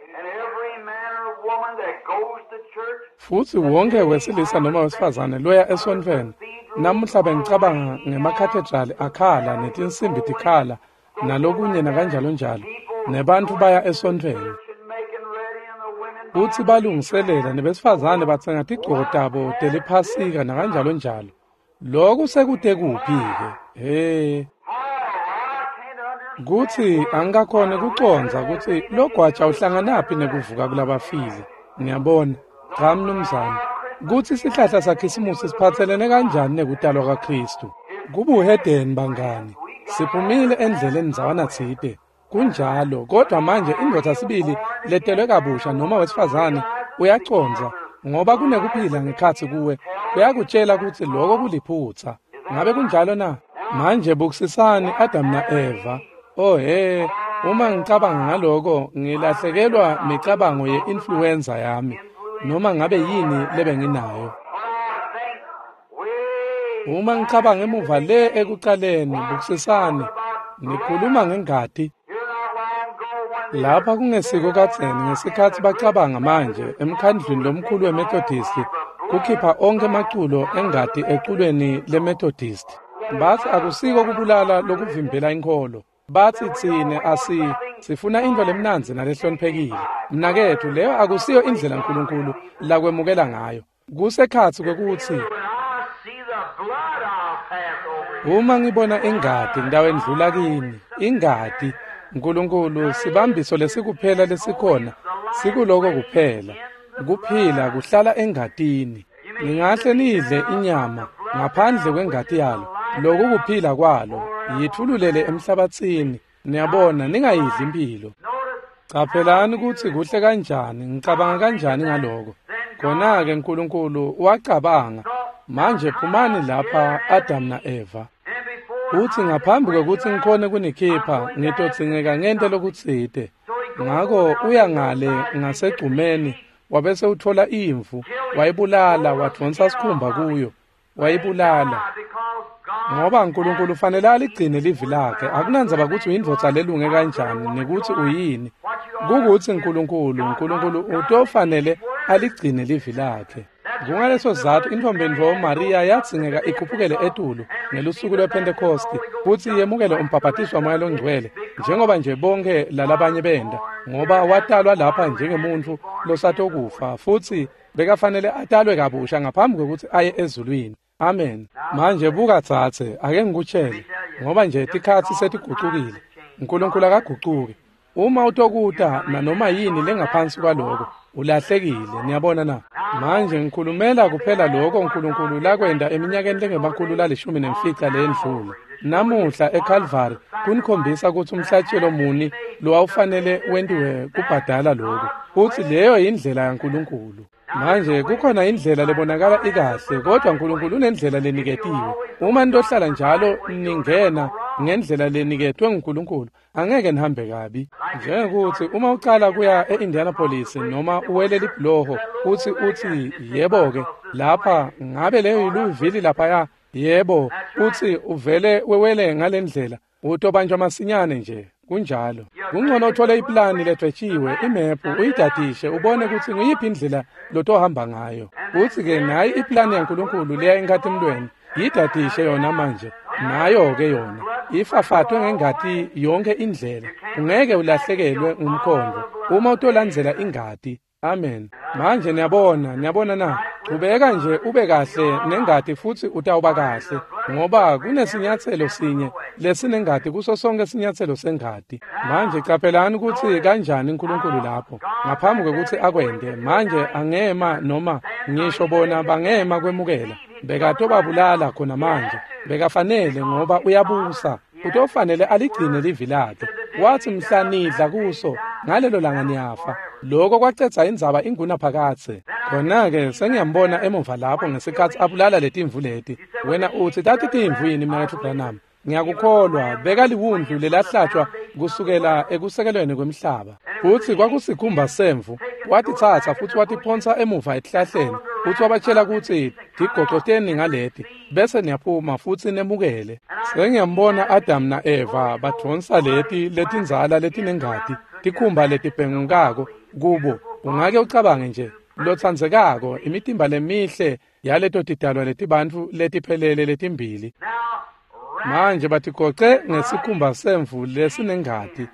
Futsi wonke wesilisa noma wesifazane loya esontfweni, namuhla bengicabanga ngemakhathedrali akhala netinsimbi tikhala nalokunye nakanjalo njalo, nebantfu baya esontfweni. Futsi balungiselela nebesifazane batsenga tigcoko tabo teliphasika nakanjalo njalo. Loku sekute kuphi-ke? He. Kutsi angikakhoni kucondza kutsi logwaja uhlanganaphi nekuvuka kulabafile. Ngiyabona. Cha mnumzane. Kutsi sihlahla saKhisimusi siphatselene kanjani nekutalwa kwaKhristu. Kubuhedeni bangani. Siphumile endleleni ndzawanatsite. Kunjalo, kodwa manje indvodza sibili letelwe kabusha noma wesifazane uyacondza ngoba kunekuphila ngekhatsi kuwe. Kuyakutshela kutsi loko kuliphutsa. Ngabe kunjalo na? Manje bukisisani Adam na-Eva. Oh he, uma ngicabanga ngaloko ngilahlekelwa micabango ye-influenza yami noma ngabe yini lebenginayo. Uma ngicabanga emuva le ekucaleni, bukisisani, nikhuluma ngengati. Lapha kungesiko kadzeni ngesikhatsi bacabanga manje emkhandlwini lomkhulu weMethodist kukhipha onke emaculo engati eculweni leMethodist. Batsi akusiko kubulala lokuvimbela inkholo. Batsi tsine sifuna intfo lemnandzi nalehloniphekile. Mnaketfu, leyo akusiyo indlela Nkulunkulu lakwemukela ngayo. Kusekhatsi kwekutsi uma ngibona ingati ngitawendlula kini. Ingati Nkulunkulu sibambiso lesikuphela lesikhona, sikuloko kuphela. Kuphila kuhlala engatini. Ningahle nidle inyama ngaphandle kwengati yalo. Loku kuphila kwalo yithululele emhlabatsini. Niyabona, ningayidli impilo. Caphelani kutsi kuhle kanjani, ngicabanga kanjani ngaloko. Khona-ke Nkulunkulu wacabanga, manje phumani lapha Adam na-Eva. Utsi ngaphambi kwekutsi ngikhone kunikhipha, ngitodzingeka ngente lokutsite. Ngako uya ngale ngasegcumeni, wabese utfola imvu, wayibulala, wadvonsa sikhumba kuyo, wayibulala. Ngoba Nkulunkulu ufanele aligcine livi lakhe. Akunandzaba kutsi uyindvodza lelunge kanjani nekutsi uyini. Kukutsi Nkulunkulu utofanele aligcine livi lakhe. Kungaleso sizatfu intfombi Mariya yadzingeka ikhuphukele etulu ngelusuku lwePhentekhosti futsi yemukele umbhabhatiso waMoya loNgcwele njengoba nje bonke lalabanye benda, ngoba watalwa lapha njengemuntfu losatokufa futsi bekafanele atalwe kabusha ngaphambi kwekutsi aye ezulwini. Amen. Manje buka dzadze, ake ngikutshele, ngoba nje tikhatsi setigucukile. Nkulunkulu akagucuki. Uma utokuta nanoma yini lengaphansi kwaloko, ulahlekile. Niyabona na? Manje ngikhulumela kuphela lokho Nkulunkulu lakwenta eminyakeni lengama-15 leyendlula. Namuhla eCalvary kunikhombisa kutsi umhlatshelo muni lowawufanele wentiwe kubhadala lokhu. Futsi leyo yindlela yaNkulunkulu. Manje kukhona indlela lebonakala ikahle, kodwa Nkulunkulu unendlela leniketiwe. Uma nitohlala njalo ningena ngendlela leniketwe nguNkulunkulu, angeke nihambe kabi. Njengekuthi uma ucala kuya e-Indianapolis noma uwele libhuloho futsi utsi yebo-ke lapha ngabe leyo yiLouisville laphaya, yebo, utsi uvele wewele ngalendlela, utobanjwa masinyane nje. Kunjalo. Kungcono uthole iplani ledwetshiwe, imephu, uyidadishe, ubone kutsi nguyiphi indlela lotohamba ngayo. Utsi-ke nayi iplani yaNkulunkulu leya enkhatimulweni, yidadishe yona manje. Nayo-ke yona ifafatwe ngengati yonke indlela. Ungeke ulahlekelwe ngumkhondo uma utolandzela ingati. Amen. Manje niyabona na? Chubeka nje ube kahle nengati futsi utawuba kahle, ngoba kunesinyatselo sinye lesinengati kuso sonke sinyatselo sengati. Manje caphelani kutsi kanjani uNkulunkulu lapho ngaphambi kwekutsi akwente. Manje angema noma ngisho bona bangema kwemukela, bekatobabulala khona manje. Bekafanele, ngoba uyabusa, utofanele aligcine livi lakhe. Wathi mhla nidla kuso ngalelo langa niyafa. Lokho kwacedza indzaba ingunaphakadze. Khona-ke sengiyambona emuva lapho ngesikhatsi abulala letimvu leti. Wena utsi tati timvu yini, Mnaketfu Branham? Ngiyakukholwa, bekaliwundlu lelahlatshwa kusukela ekusekelweni kwemhlaba. Futsi kwakusikhumba semvu. Watitsatsa futsi watiphonsa emuva etihlahleni, futsi wabatshela kutsi tigocoteni ngaleti, bese niyaphuma futsi nemukele. Sengiyambona Adam na-Eva badvonsa leti letindzala letinengati, tikhumba letibhengukako kubo. Ungake ucabange nje, lotsandzekako, imitimba lemihle yaleto tidalwa letibantfu letiphelele letimbili. Manje batigoce ngesikhumba semvu lesinengati.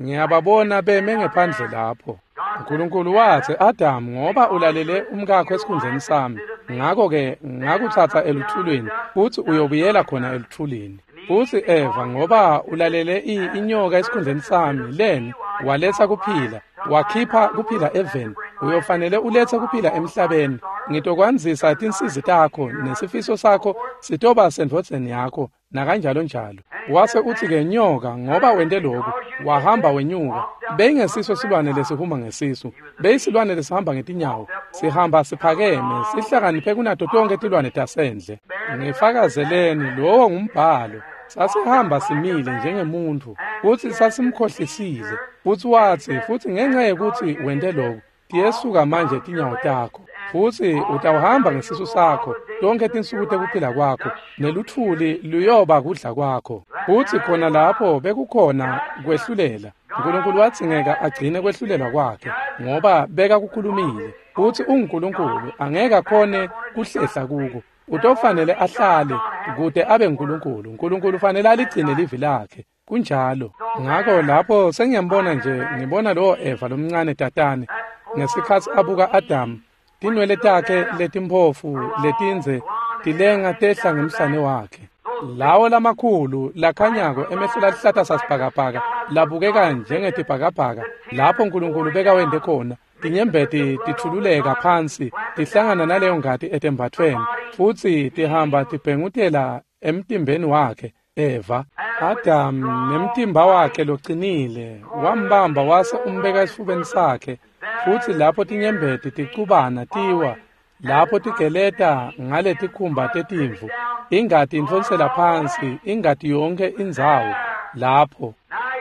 Ngiyababona beme ngephandle lapho. uNkulunkulu watsi, Adam, ngoba ulalele umkakho esikhundleni sami, ngakho-ke ngakutsatsa eluthulwini, futsi uyobuyela khona eluthulwini. Futsi Eva, ngoba ulalele inyoka esikhundleni sami, leni waletsa kuphila, wakhipha kuphila eveni, uyofanele uletse kuphila emhlabeni. Ngitokwandzisa tinsizi takho nesifiso sakho sitoba sendvodzeni yakho, nakanjalo njalo. Wase utsi-ke nyoka, ngoba wente lokhu, wahamba wenyuka. Beyingesiso silwane lesihuma ngesisu, beyisilwane lesihamba ngetinyawo, sihamba siphakeme, sihlakaniphe kunato tonke tilwane tasendle. Ngifakazeleni, lowo ngumbhalo. Sasihamba simile njengemuntfu, futsi sasimkhohlisile. Futsi watsi, futsi ngenxa yekutsi wente lokhu, tiyesuka manje tinyawo takho, futsi utawuhamba ngesisu sakho tonkhe tinsuku tekuphila kwakho, neluthuli luyoba kudla kwakho. Futsi khona lapho bekukhona kwehlulela. uNkulunkulu wadzingeka agcine kwehlulelwa kwakhe, ngoba bekakukhulumile. Futsi unguNkulunkulu, angeke akhone kuhlehla kuko. Utofanele ahlale kute abe nguNkulunkulu. uNkulunkulu ufanele aligcine livi lakhe. Kunjalo. Ngakho lapho sengiyambona nje, ngibona lowo Eva lomncane tatane ngesikhatsi abuka Adam, tinwele takhe letimphofu letindze tilenga tehla ngemhlane wakhe. Lawo lamakhulu lakhanyako emehlo laluhlata sasibhakabhaka labukeka njengetibhakabhaka lapho uNkulunkulu bekawente khona. Tinyembeti tithululeka phansi tihlangana naleyo ngati etembathweni, futsi tihamba tibhengutela emtimbeni wakhe. Eva, Adam nemtimba wakhe locinile wambamba wase umbeka esifubeni sakhe, futsi lapho tinyembeti ticubana tiwa, lapho tigeleta ngaletikhumba tetimvu, ingati intfonsela phansi, ingati yonke indzawo lapho.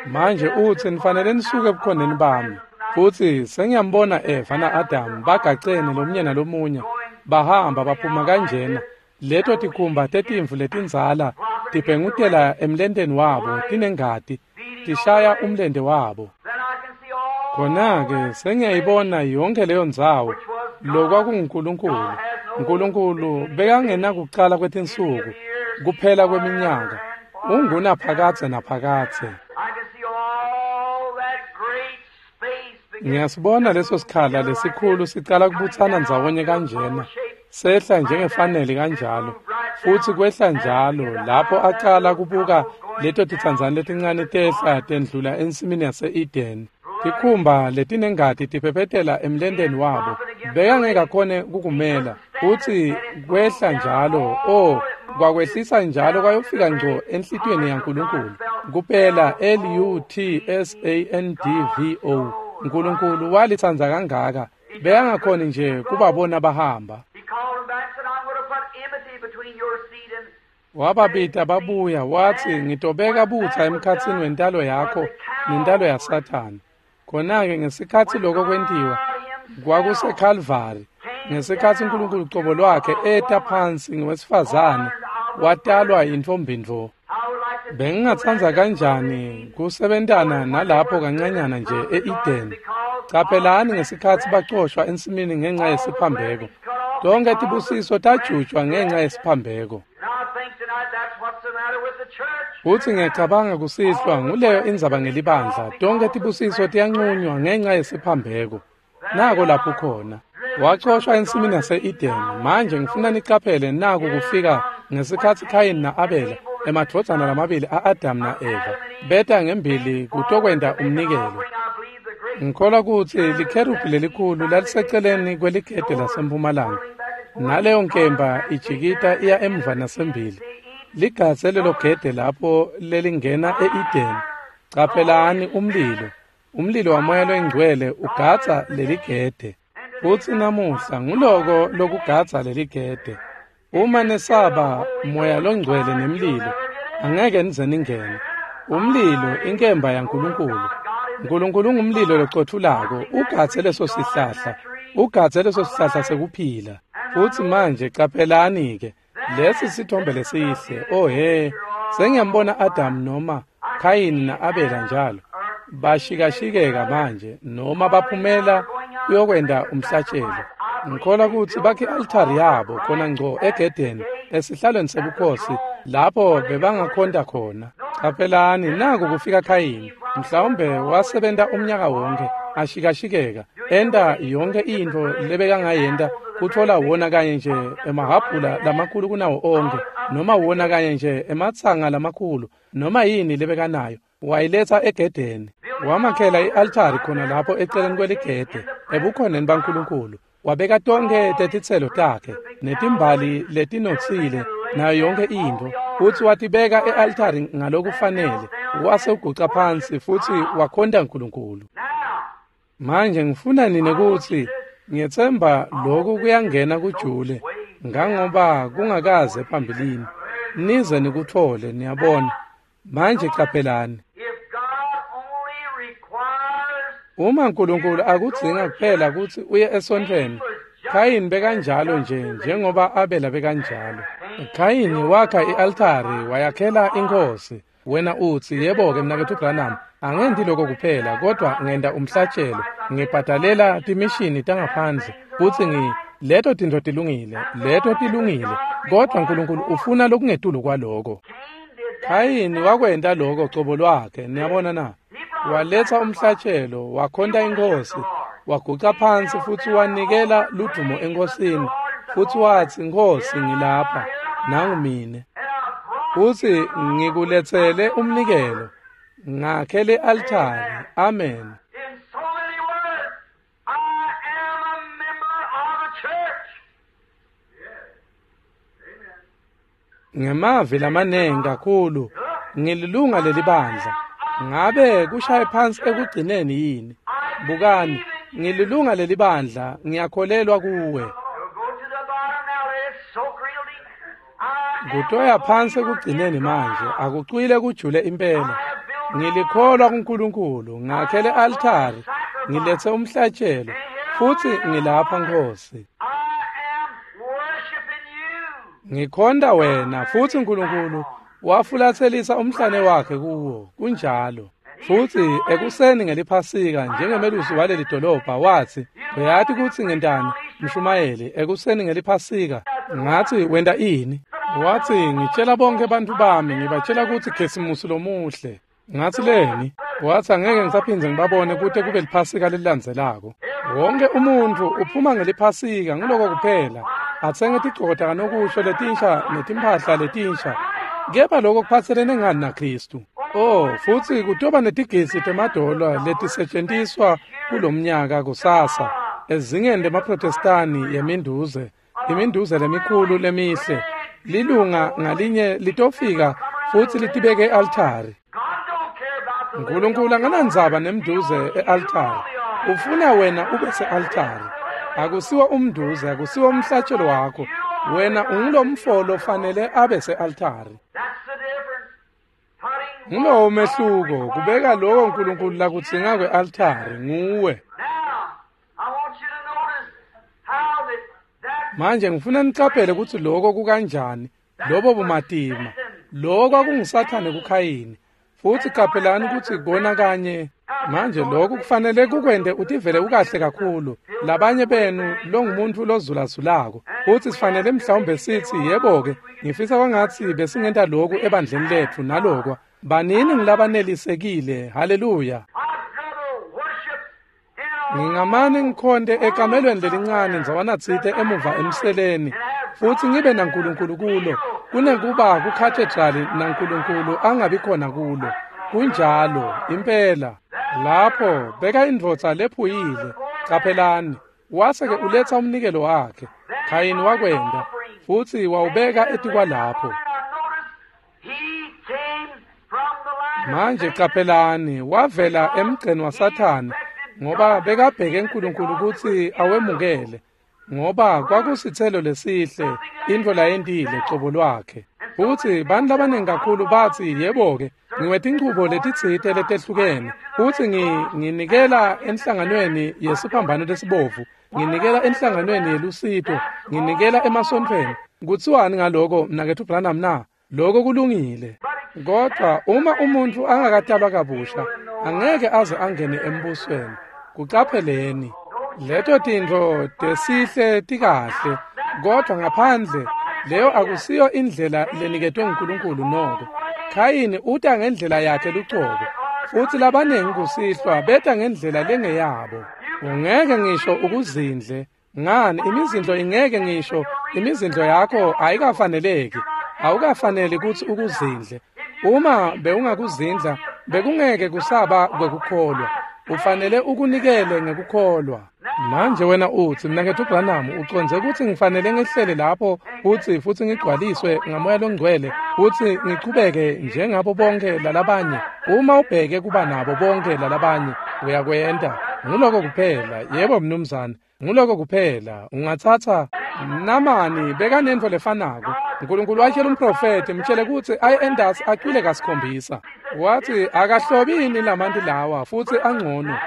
Manje utsi nifanele nisuke ebukhoneni bami. Futsi sengiyambona Eva na-Adam bagacene lomunye nalomunye, bahamba baphuma kanjena. Leto tikhumba tetimvu letindzala tibhengutela emlenteni wabo tinengati, tishaya umlente wabo. Khona-ke sengiyayibona yonke leyo ndzawo, lokwakunguNkulunkulu. uNkulunkulu bekangenakucala kwetinsuku, kuphela kweminyaka, ungunaphakadze naphakadze. Ngiyasibona leso sikhala lesikhulu sicala kubutsana ndzawonye kanjena, sehla njengefanele kanjalo, futsi kwehla njalo lapho acala kubuka leto titsandzane letincane tehla tendlula ensimini yase-Eden. Tikhumba letinengati tiphephetela emlenteni wabo, bekangeke akhone kukumela. Futsi kwehla njalo, oh, kwakwehlisa njalo kwayofika ngco enhlitiyweni yaNkulunkulu. Kuphela L-U-T-S-A-N-D-V-O. uNkulunkulu walitsandza kangaka, bekangakhoni nje kubabona bahamba. Wababita babuya, watsi ngitobeka butsa emkhatsini wentalo yakho nentalo yaSathane. Khona-ke ngesikhatsi lokho kwentiwa, kwakuseKhalvari, ngesikhatsi uNkulunkulu cobo lwakhe eta phansi ngewesifazane, watalwa yintfombi-ntfo. Bengingatsandza kanjani kusebentana nalapho kancanyana nje e-Eden. Caphelani ngesikhatsi bacoshwa ensimini ngenxa yesiphambeko. Tonke tibusiso tajutjwa ngenxa yesiphambeko. Futsi ngiyacabanga kusihlwa nguleyo indzaba ngelibandla. Tonke tibusiso tiyancunywa ngenxa yesiphambeko. Nako lapho khona. Wacoshwa ensimini yase-Edeni. Manje ngifuna nicaphele naku kufika ngesikhatsi Khayini na-Abela, emadvodzana lamabili a-Adamu na-Eva, beta ngembili kutokwenta umnikelo. Ngikholwa kutsi likherubhi lelikhulu laliseceleni kweligede lasempumalanga, naleyo nkemba ijikita iya emuva nasembili. Ligadze lelo gede lapho lelingena e-Edeni. Caphelani umlilo. Umlilo waMoya loyiNgcwele ugadza leligede. Futsi namuhla nguloko lokugadza leligede. Uma nesaba Moya loNgcwele nemlilo, angeke nize ningene. Umlilo inkemba yaNkulunkulu. Nkulunkulu ungumlilo locothulako, ugadze leso sihlahla. Ugadze leso sihlahla sekuphila. Futsi manje caphelani-ke, lesi sithombe lesihle. Oh he, sengiyambona Adamu noma Khayini na-Abela njalo. Bashikashikeka manje noma baphumela kuyokwenta umhlatshelo. Ngikholwa kutsi bakhe i-altari yabo khona ngco egedeni esihlalweni sebukhosi lapho bebangakhonta khona. Caphelani, naku kufika Khayini. Mhlawumbe wasebenta umnyaka wonke ashikashikeka, enta yonke intfo lebekangayenta kutfola wona kanye nje emahhabhula lamakhulu kunawo onke, noma wona kanye nje ematsanga lamakhulu, noma yini lebekanayo, wayiletsa egedeni. Wamakhela i-altari khona lapho eceleni kweligede, ebukhoneni baNkulunkulu. Wabeka tonkhe tetitselo takhe, netimbali letinotsile, nayo yonke intfo, futsi watibeka e-altari ngalokufanele. Wase uguca phansi futsi wakhonta Nkulunkulu. Manje ngifuna nine kutsi ngiyetsemba lokhu kuyangena kujule ngangoba kungakaze phambilini. Nize nikutfole, niyabona. Manje caphelani. Uma Nkulunkulu akudzinga kuphela kutsi uye esontfweni, Khayini bekanjalo nje njengoba Abela bekanjalo. Khayini wakha i-altari wayakhela inkhosi. Wena utsi, yebo-ke mnaketfu Branham, angenti lokho kuphela, kodwa ngenta umhlatshelo, ngibhadalela timishini tangaphandle, futsi leto tintfo tilungile, leto tilungile, kodwa Nkulunkulu ufuna lokungetulu kwaloko. Khayini wakwenta loko cobo lwakhe, niyabona na? Waletsa umhlatshelo, wakhonta inkhosi, waguca phansi futsi wanikela ludumo enkhosini, futsi watsi, Nkhosi, ngilapha, nangu mine. Futsi ngikuletsele umnikelo, ngakhe le-altari. Amen. In so many words, I am a member of the church. Ngemavi lamanengi kakhulu, ngililunga lelibandla. Ngabe kushaye phansi ekugcineni yini? Bukani, ngililunga lelibandla, ngiyakholelwa kuwe. You'll go to the bottom now, let it soak real deep. I am Kutoya phansi ekugcineni manje, akucwile kujule impela. Ngilikholwa kuNkulunkulu, ngakhe le-altari, ngiletse umhlatshelo, futsi ngilapha Nkhosi. I am worshiping you. Ngikhonta wena, futsi Nkulunkulu wafulatselisa umhlane wakhe kuwo, kunjalo. Futsi ekuseni ngeliphasika njengemelusi waleli dolobha watsi, uyati kutsi ngentani, mshumayeli, ekuseni ngeliphasika. Ngatsi, wenta ini? Watsi, ngitshela bonke bantfu bami, ngibatshela kutsi Khisimusi lomuhle. Ngatsi, leni? Watsi, angeke ngisaphindze ngibabone kute kube liphasika lelilandzelako. Wonke umuntfu uphuma ngeliphasika, nguloko kuphela. Atsenge tigcoko takanokusho letinsha netimphahla letinsha. Kepha lokho kuphatselene ngani naKhristu? Oh, futsi kutoba netigisi temadola letisetjentiswa kulomnyaka kusasa ezingeni lemaProtestani yeminduze, iminduze lemikhulu lemihle. Lilunga ngalinye litofika futsi litibeke e-altari. God don't care about the Nkulunkulu anganandzaba nemnduze e-altari. Ufuna wena ube se-altari. Akusiwo umnduze, akusiwo umhlatshelo wakho. Wena ungulomfo lofanele abe se-altari. That's the difference. Putting Ngulowo mehluko, kubeka lokho Nkulunkulu lakudzinga kwe-altari nguwe. Now, I want you to notice how that Manje ngifuna nicaphele kutsi lokho kukanjani, lobo bumatima. Lokho kwakunguSathane kuKhayini. Futsi caphelani kutsi kona kanye manje lokhu kufanele kukwente utivele ukahle kakhulu. Labanye benu longumuntu lozulazulako. Futsi sifanele mhlawumbe sitsi, yebo-ke, ngifisa kwangatsi besingenta lokhu ebandleni letfu nalokwa. Banini ngilabanelisekile. Haleluya. I'd rather worship in Ngingamane ngikhonte ekamelweni lelincane ndzawanatsite emuva emseleni futsi ngibe naNkulunkulu kulo kunekuba kukhathedrali naNkulunkulu angabi khona kulo. Kunjalo impela. Lapho beka indvodza lephuyile. Caphelani, wase-ke uletsa umnikelo wakhe. Khayini wakwenta futsi wawubeka etikwalapho. Manje caphelani, wavela emgceni waSathane ngoba bekabheke uNkulunkulu kutsi awemukele, ngoba kwakusitselo lesihle intfo layentile cobo lwakhe. Futsi bantfu labaningi kakhulu batsi, yebo-ke, ngiwetinchubo letitsite letehlukene, futsi nginikela enhlanganweni yesiphambano lesibovu, nginikela enhlanganweni yelusito, nginikela emasontfweni. Kutsiwani ngaloko, mnaketfu Branham na? Lokho kulungile. Kodwa uma umuntfu angakatalwa kabusha, angeke aze angene embusweni. Kucapheleni. Leto tintfo tesihle tikahle, kodwa ngaphandle leyo akusiyo indlela leniketwe nguNkulunkulu noko. Khayini uta ngendlela yakhe lucobo, futsi labaningi kusihlwa beta ngendlela lengeyabo. Ungeke ngisho ukuzindle. Ngani, imizindlo ingeke ngisho, imizindlo yakho ayikafaneleki. Awukafaneli kutsi ukuzindle. Uma bewungakuzindla, bekungeke kusaba kwekukholwa. Ufanele ukunikele ngekukholwa. Manje wena utsi, mnaketfu Branham, ucondze kutsi ngifanele ngehlele lapho futsi ngigcwaliswe ngaMoya loNgcwele futsi ngichubeke njengabo bonke lalabanye? Uma ubheke kuba nabo bonke lalabanye, uyakwenta. Nguloko kuphela. Yebo mnumzane, nguloko kuphela. Ungatsatsa Namani bekanentfo lefanako. Nkulunkulu watshela umprofethi, mtshele kutsi aye endasi acwile kasikhombisa. Watsi akahlobini lamanti lawa futsi angcono.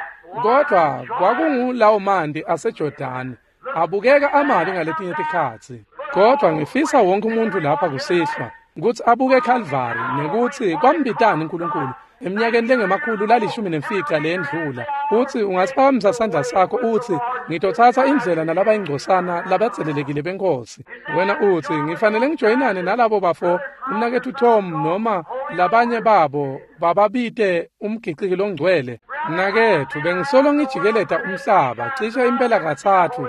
Kodwa kwakungulawo manti aseJordani, abukeka amabi ngaletinye tikhatsi. Kodwa ngifisa wonke umuntu lapha kusihlwa kutsi abuke eKhalvari nekutsi kwambitani uNkulunkulu eminyakeni lengemakhulu 15 leyendlula. Utsi ungasiphakamisa sandla sakho utsi, ngitotsatsa indlela nalabayingcosana labatselelekile benkosi. Wena utsi, ngifanele ngijoyinane nalabo bafo, umnaketfu Tom noma labanye babo bababite umgiciki longcwele. Mnaketfu, bengisolo ngijikeleta umhlaba cishe impela 3,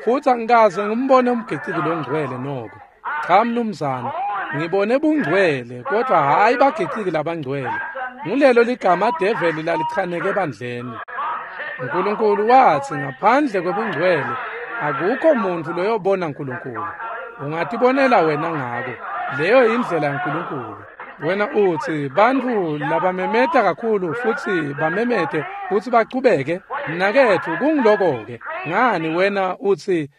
futsi angikaze ngimbone umgiciki longcwele noko. Cha mnumzane, ngibone bungcwele, kodwa hhayi bagiciki labangcwele. Ngulelo ligama develi lalichaneke ebandleni. Nkulunkulu watsi ngaphandle kwebungcwele akukho muntfu loyobona Nkulunkulu. Ungatibonela wena ngako. Leyo indlela yaNkulunkulu. Wena utsi bantfu labamemeta kakhulu futsi bamemete futsi bachubeke. Mnaketfu, kungiloko-ke. Ngani wena utsi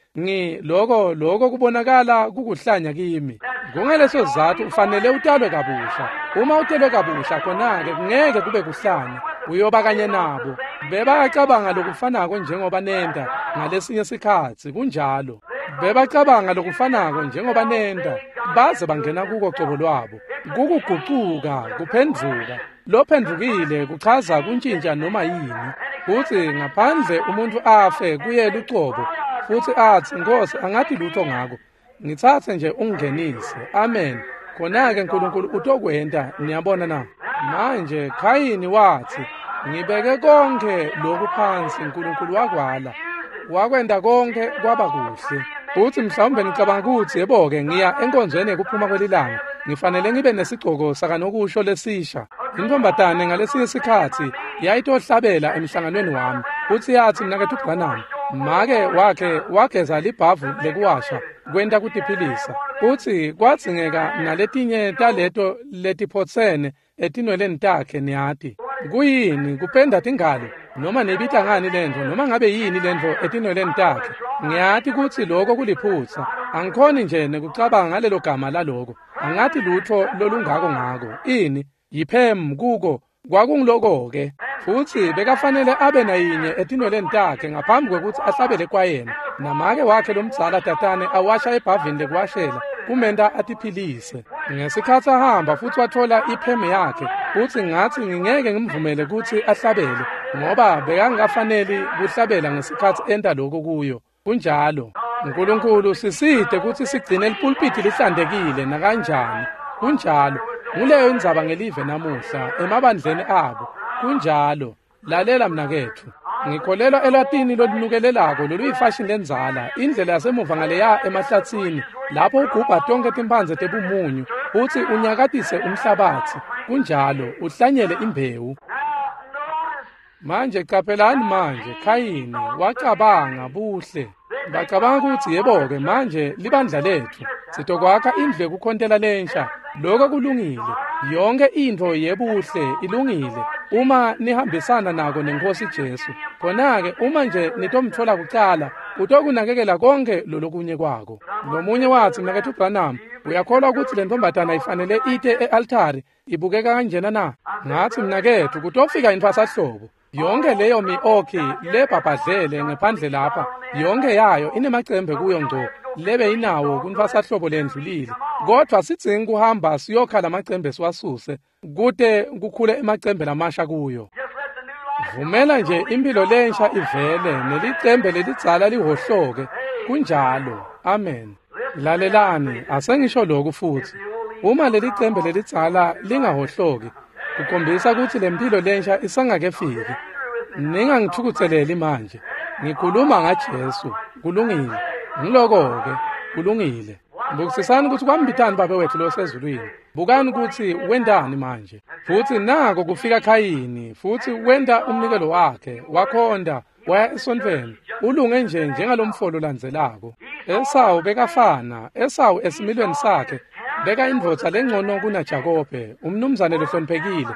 loko kubonakala kukuhlanya kimi. Kungaleso sizatfu ufanele utalwe kabusha. Uma utelwe kabusha, khona-ke kungeke kube kuhlanya. Uyoba kanye nabo. Bebacabanga lokufanako njengoba nenta ngalesinye sikhatsi, kunjalo. Bebacabanga lokufanako njengoba nenta, baze bangena kuko cobo lwabo. Kukugucuka, kuphendvuka. Lophendvukile kuchaza kuntjintja noma yini. Futsi ngaphandle umuntfu afe kuye lucobo, futsi atsi, Nkosi, angathi lutho ngako. Ngitsatse nje ungingenise. Amen. Khona-ke Nkulunkulu utokwenta, niyabona na? Manje Khayini watsi, ngibeke konke lokhu phansi, Nkulunkulu wakwala. Wakwenta konke kwaba kuhle. Futsi mhlawumbe ngicabanga kutsi yebo-ke, ngiya enkonzweni yekuphuma kwelilanga. Ngifanele ngibe nesigcoko sakanokusho lesisha. Intfombatane ngalesinye sikhatsi yayitohlabela emhlanganweni wami. Futsi yatsi, mnaketfu Branham, make wakhe wageza libhavu lekuwasha kwenta kutiphilisa. Futsi kwadzingeka naletinye taleto letiphotsene etinweleni takhe, niyati. Kuyini kupenda tingalo noma nibita ngani lentfo noma ngabe yini lentfo etinweleni takhe? Ngiyati kutsi loko kuliphutsa. Angikhoni nje nekucabanga ngalelo gama laloko. Angathi lutho lolungako ngako. Ini yiphem kuko kwakungiloko-ke. Futsi bekafanele abe nayinye etinweleni takhe ngaphambi kwekutsi ahlabele kwayena. Namake wakhe lomdzala tatane awasha ebhavini lekuwashela kumenta atiphilise. Ngesikhatsi ahamba futsi watfola iphemu yakhe, futsi ngatsi ngingeke ngimvumele kutsi ahlabele ngoba bekangafaneli kuhlabela ngesikhatsi enta lokho kuyo. Kunjalo. Nkulunkulu sisite kutsi sigcine lipulpiti lihlantekile nakanjani. Kunjalo. Nguleyo indzaba ngelive namuhla emabandleni abo. Kunjalo. Lalela mnaketfu. Ngikholelwa elwatini lolunukelelako loluyifashini lendzala, indlela yasemuva ngaleya emahlatsini, lapho ugubha tonkhe timphandze tebumunyu, futsi unyakatise umhlabatsi. Kunjalo, uhlanyele imbewu. Manje caphelani manje, Khayini wacabanga buhle. Bacabanga kutsi yebo-ke manje libandla letfu sitokwakha indlu yekukhontela lensha. Lokho kulungile. Yonke intfo yebuhle ilungile uma nihambisana nako neNkhosi Jesu. Khona-ke uma nje nitomtfola kucala, utokunakekela konke lolokunye kwako. Lomunye watsi, Mnaketfu Branham, uyakholwa kutsi le ntombazana ifanele ite e-altari ibukeka kanjena na? Ngatsi, mnaketfu, kutofika intfwasahlobo. Yonke leyo mi-okhi lebhabhadlele ngephandle lapha, yonke yayo inemacembe kuyo ngco lebe inawo kuntfwasahlobo lendlulile. Kodvwa sidzinga kuhamba siyokha lamacembe siwasuse kute kukhule emacembe lamasha kuyo. Vumela nje impilo lensha ivele nelicembe lelidzala lihohloke. Kunjalo. Amen. Lalelani, asengisho lokhu futsi. Uma lelicembe lelidzala lingahohloki, kukhombisa kutsi lempilo lensha isangakefiki. Ningangithukutseleli manje. Ngikhuluma ngaJesu. Kulungile. Ngiloko-ke. Kulungile. Bukisisani kutsi kwambitani Babe wetfu losezulwini. Bukani kutsi wentani manje. Futsi nako kufika Khayini, futsi wenta umnikelo wakhe, wakhonda, waya esontfweni. Ulunge nje njengalomfolo landzelako. Esawu bekafana, Esawu esimilweni sakhe beka indvodza lengcono kunaJakobe, umnumzane lohloniphekile.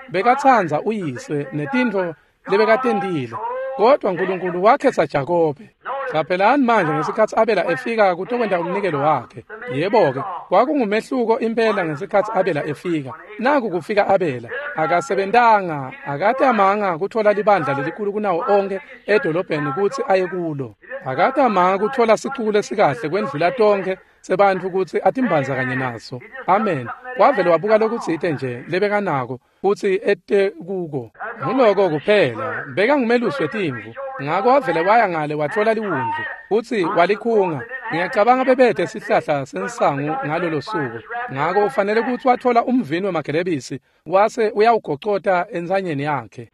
Bekatsandza uyise netintfo lebekatentile, kodwa Nkulunkulu wakhetsa Jakobe. Caphelani manje ngesikhatsi Abela efika kutokwenta umnikelo wakhe. Yebo-ke, kwakungumehluko impela ngesikhatsi Abela efika. Naku kufika Abela, akasebentanga, akatamanga kutfola libandla lelikhulu kunawo onkhe edolobheni kutsi aye kulo. Akatamanga kutfola sicuku lesikahle kwendlula tonkhe sebantfu kutsi atimbandzakanye naso. Amen. Wavele wabuka lokutsite nje lebekanako futsi ete kuko. Nguloko kuphela, bekangumelusi wetimvu. Ngako wavele waya ngale watfola liwundlu futsi walikhunga. Ngiyacabanga bebete sihlahla sensangu ngalolo suku. Ngako ufanele kutsi watfola umvini wemagelebisi wase uyawugocota entsanyeni yakhe.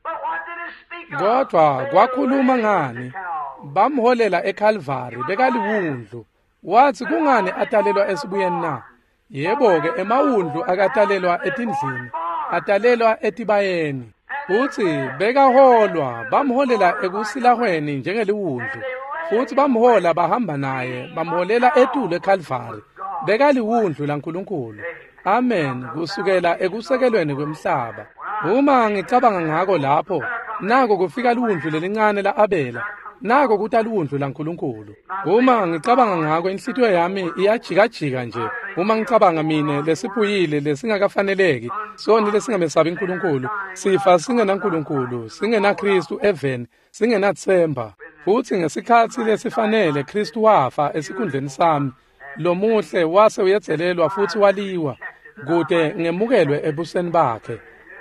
Kodwa kwakhuluma ngani? Bamholela eKalvari, bekaliwundlu. Watsi kungani atalelwa esibuyeni na? Yebo-ke, emawundlu akatalelwa etindlini, atalelwa etibayeni. Futsi bekaholwa, bamholela ekusilahweni njengeliwundlu. Futsi bamhola bahamba naye, bamholela etulu eKalvari. Bekaliwundlu laNkulunkulu. Amen, kusukela ekusekelweni kwemhlaba. Uma ngicabanga ngako lapho, nako kufika liwundlu lelincane la-Abela. Nako kuta liwundlu laNkulunkulu. Uma ngicabanga ngako, inhlitiyo yami iyajikajika nje. Uma ngicabanga mine lesiphuyile lesingakafaneleki, soni lesingamesabi uNkulunkulu, sifa singenaNkulunkulu, singenaKristu eveni, singenathemba. Futsi ngesikhatsi lesifanele Kristu wafa esikhundleni sami. Lomuhle wase uyedzelelwa futsi waliwa kute ngemukelwe ebuseni bakhe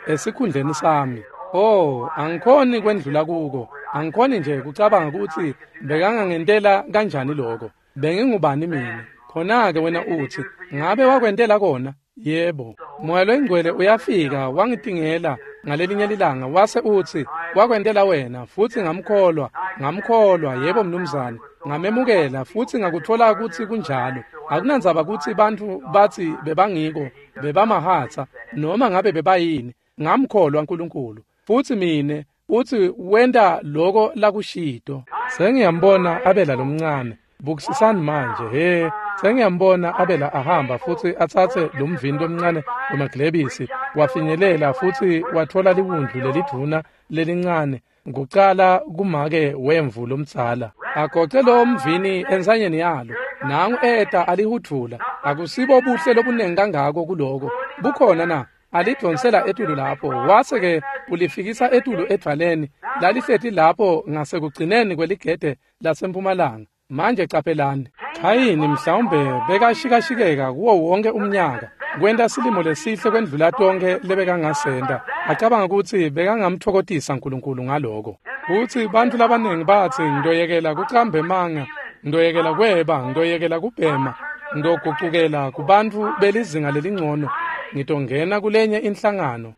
esikhundleni sami. Oh, angikhoni kwendlula kuko. Angikhoni nje kucabanga kutsi bekangangentela kanjani lokho. Bengingubani mina? Khona-ke wena utsi, ngabe wakwentela kona? Yebo. Moya loyingcwele uyafika wangitingela ngalelinye lilanga wase utsi, wakwentela wena, futsi ngamkholwa, ngamkholwa, yebo mnumzane. Ngamemukela futsi ngakutfola kutsi kunjalo. Akunandzaba kutsi bantfu batsi bebangiko, bebamahatsa, noma ngabe bebayini. Ngamkholwa uNkulunkulu. Futsi mine utsi wenta loko lakushito. Sengiyambona Abela lomncane. Bukisisani manje, he, sengiyambona Abela ahamba futsi atsatse lomvini lomncane wemaglebisi, wafinyelela futsi watfola liwundlu lelidvuna lelincane kucala kumake wemvu lomdzala. Agoce lowo mvini entsanyeni yalo. Nangu eta alihudvula. Akusibo buhle lobunengi kangako kuloko. Bukhona na? Alidvonsela etulu lapho, wase-ke ulifikisa etulu edvwaleni lalihleti lapho ngasekugcineni kweligede lasempumalanga. Manje caphelani, Khayini mhlawumbe bekashikashikeka kuwo wonke umnyaka kwenta silimo lesihle kwendlula tonkhe lebekangasenta, acabanga kutsi bekangamtfokotisa uNkulunkulu ngaloko. Futsi bantfu labaningi batsi, ngiyoyekela kucamba emanga, ngiyoyekela kweba, ngiyoyekela kubhema, ngiyogucukela kubantfu belizinga lelingcono, ngitongena kulenye inhlangano.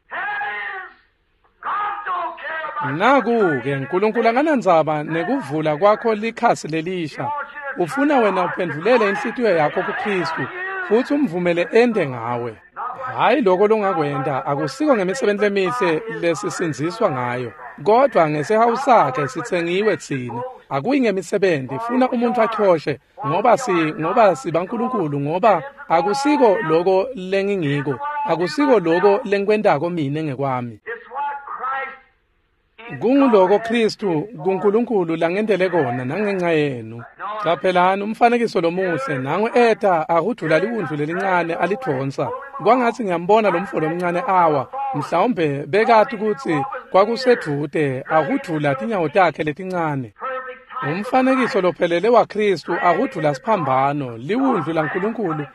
Naku-ke Nkulunkulu akanandzaba nekuvula kwakho likhasi lelisha. Ufuna wena uphendvulele inhlitiyo yakho kuKhristu futsi umvumele ente ngawe. Hhayi lokho longakwenta akusiko ngemisebenti lemihle lesisindziswa ngayo, kodvwa ngesihawu sakhe sitsengiwe tsine. Akuyi ngemisebenti, funa umuntu achoshe ngoba sibaNkulunkulu, ngoba akusiko lokho lengingiko, akusiko lokho lengikwentako mine ngekwami. Kunguloko Khristu kuNkulunkulu langentele kona nangenxa yenu. Caphelani umfanekiso lomuhle, nangu eta ahudvula liwundlu lelincane alidvonsa. Kwangatsi ngiyambona lo mfo lomncane awa, mhlawumbe bekati kutsi kwakusedvute ahudvula tinyawo takhe letincane. Umfanekiso lophelele waKhristu ahudvula siphambano, liwundlu laNkulunkulu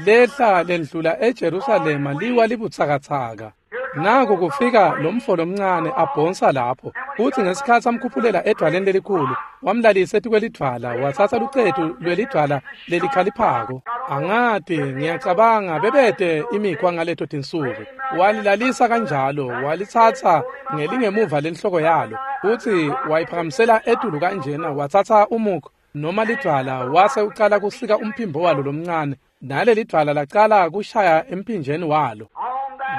lehla lendlula eJerusalema liwa libutsakatsaka. Naku kufika lo mfo lomncane abhonsa lapho, futsi ngesikhatsi amkhuphulela edvwaleni lelikhulu, wamlalisa etikwelidvwala, watsatsa lucetu lwelidvwala lelikhaliphako. Angati, ngiyacabanga bebete imikhwa ngaleto tinsuku. Walilalisa kanjalo, walitsatsa ngelingemuva lenhloko yalo, futsi wayiphakamisela etulu kanjena, watsatsa umukho noma lidvwala, wase ucala kusika umphimbo walo lomncane, nalelidvwala lacala kushaya emphinjeni walo.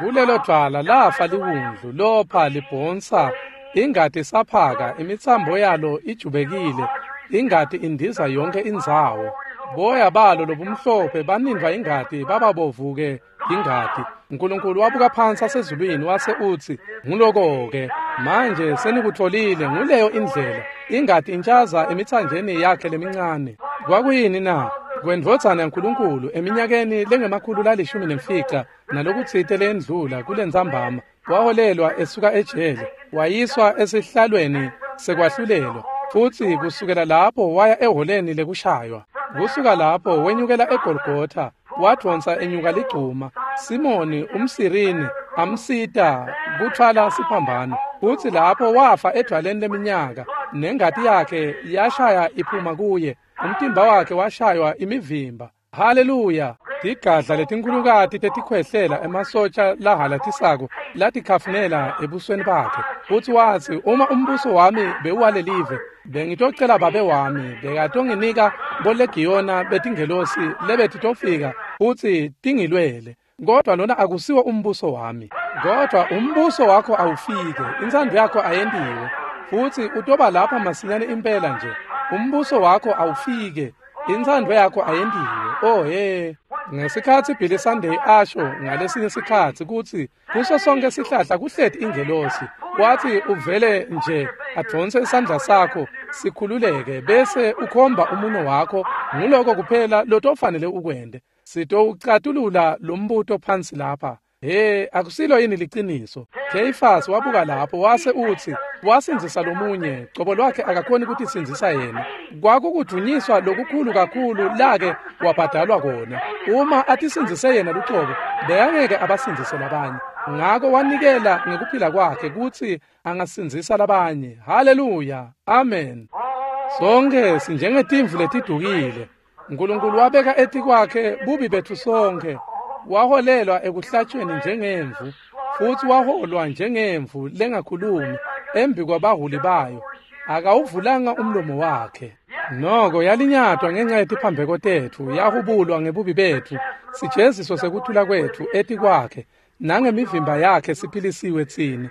Kulelo dvwala lafa liwundlu, lopha libhonsa, ingati saphaka, imitsambo yalo ijubekile, ingati indiza yonke indzawo. Boya balo lobumhlophe banindvwa ingati, bababovuke ingati. Nkulunkulu wabuka phansi asezulwini wase utsi, nguloko-ke, manje senikutfolile, nguleyo indlela. Ingati intshaza emitsanjeni yakhe lemincane. Kwakuyini na? Kwendvodzana yaNkulunkulu eminyakeni lengama-115 nalokutsite lendlula kulentsambama, waholelwa esuka ejele, wayiswa esihlalweni sekwahlulelwa, futsi kusukela lapho waya eholeni lekushaywa. Kusuka lapho wenyukela eGolgotha, wadvonsa enyuka ligcuma. Simoni umSirini amsita kutfwala siphambano, futsi lapho wafa edvwaleni leminyaka, nengati yakhe yashaya iphuma kuye, umtimba wakhe washaywa imivimba. Haleluya! Tigadla letinkhulukati tetikhwehlela emasotsha lahalatisako latikhafunela ebusweni bakhe. Futsi watsi, uma umbuso wami bewuwalelive, bengitocela babe wami, bekatonginika bolegiyona betingelosi lebetitofika futsi tingilwele. Kodwa lona akusiwo umbuso wami. Kodwa umbuso wakho awufike, intsandvo yakho ayentiwe, futsi utoba lapha masinyane impela nje. Umbuso wakho awufike, intsandvo yakho ayentiwe. Oh he! Ngesikhatsi Billy Sunday asho ngalesinye sikhatsi kutsi kuso sonke sihlahla kuhleti ingelosi, wathi uvele nje advonse isandla sakho sikhululeke bese ukhomba umuno wakho, nguloko kuphela lotofanele ukwente. Sitowucatulula lo mbuto phansi lapha. He, akusilo yini liciniso? Kheyifasi wabuka lapho wase utsi, wasindzisa lomunye, cobo lwakhe akakhoni kutisindzisa yena. Kwakukudunyiswa lokukhulu kakhulu lake wabhadalwa kona. Uma atisindzise yena lucobo, bekangeke abasindzise labanye. Ngako wanikela ngekuphila kwakhe kutsi angasindzisa labanye. Haleluya, amen. Sonke sinjengetimvu letidukile. Nkulunkulu wabeka etikwakhe bubi betfu sonke. Waholelwa ekuhlatshweni njengemvu, futsi waholwa njengemvu lengakhulumi embi kwabaholi bayo. Akawuvulanga umlomo wakhe. Noko yalinyatwa ngenxa yetiphambeko tetfu, yahubulwa ngebubi betfu. Sijeziso sekuthula kwetfu etikwakhe, nangemivimba yakhe siphilisiwe tsine.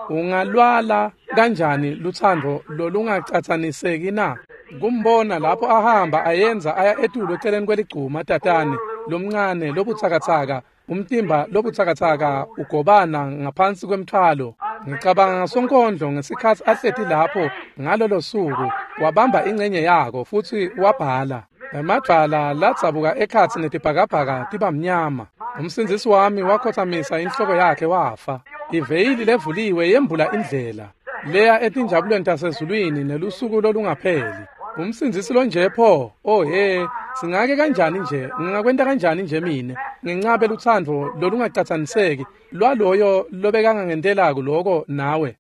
Ungalwala kanjani lutsandvo lolungacatsaniseki na? Kumbona lapho ahamba ayenza aya etulu eceleni kweligcuma tatane lomncane lobutsakatsaka, umtimba lobutsakatsaka ugobana ngaphansi kwemthwalo. Ngicabanga ngasonkondlo ngesikhatsi ahleti lapho ngalolo suku, wabamba ingcenye yako futsi wabhala. Emadvwala ladzabuka ekhatsi netibhakabhaka tiba mnyama. Umsindzisi wami wakhotsamisa inhloko yakhe wafa. Iveyili levuliwe yembula indlela leya etinjabulweni tasezulwini nelusuku lolungapheli. Umsindzisi lonje pho, oh he, singake kanjani nje, ngingakwenta kanjani nje mine, ngincabe lutsandvo lolungacatsaniseki lwaloyo lobekangangentela loko nawe.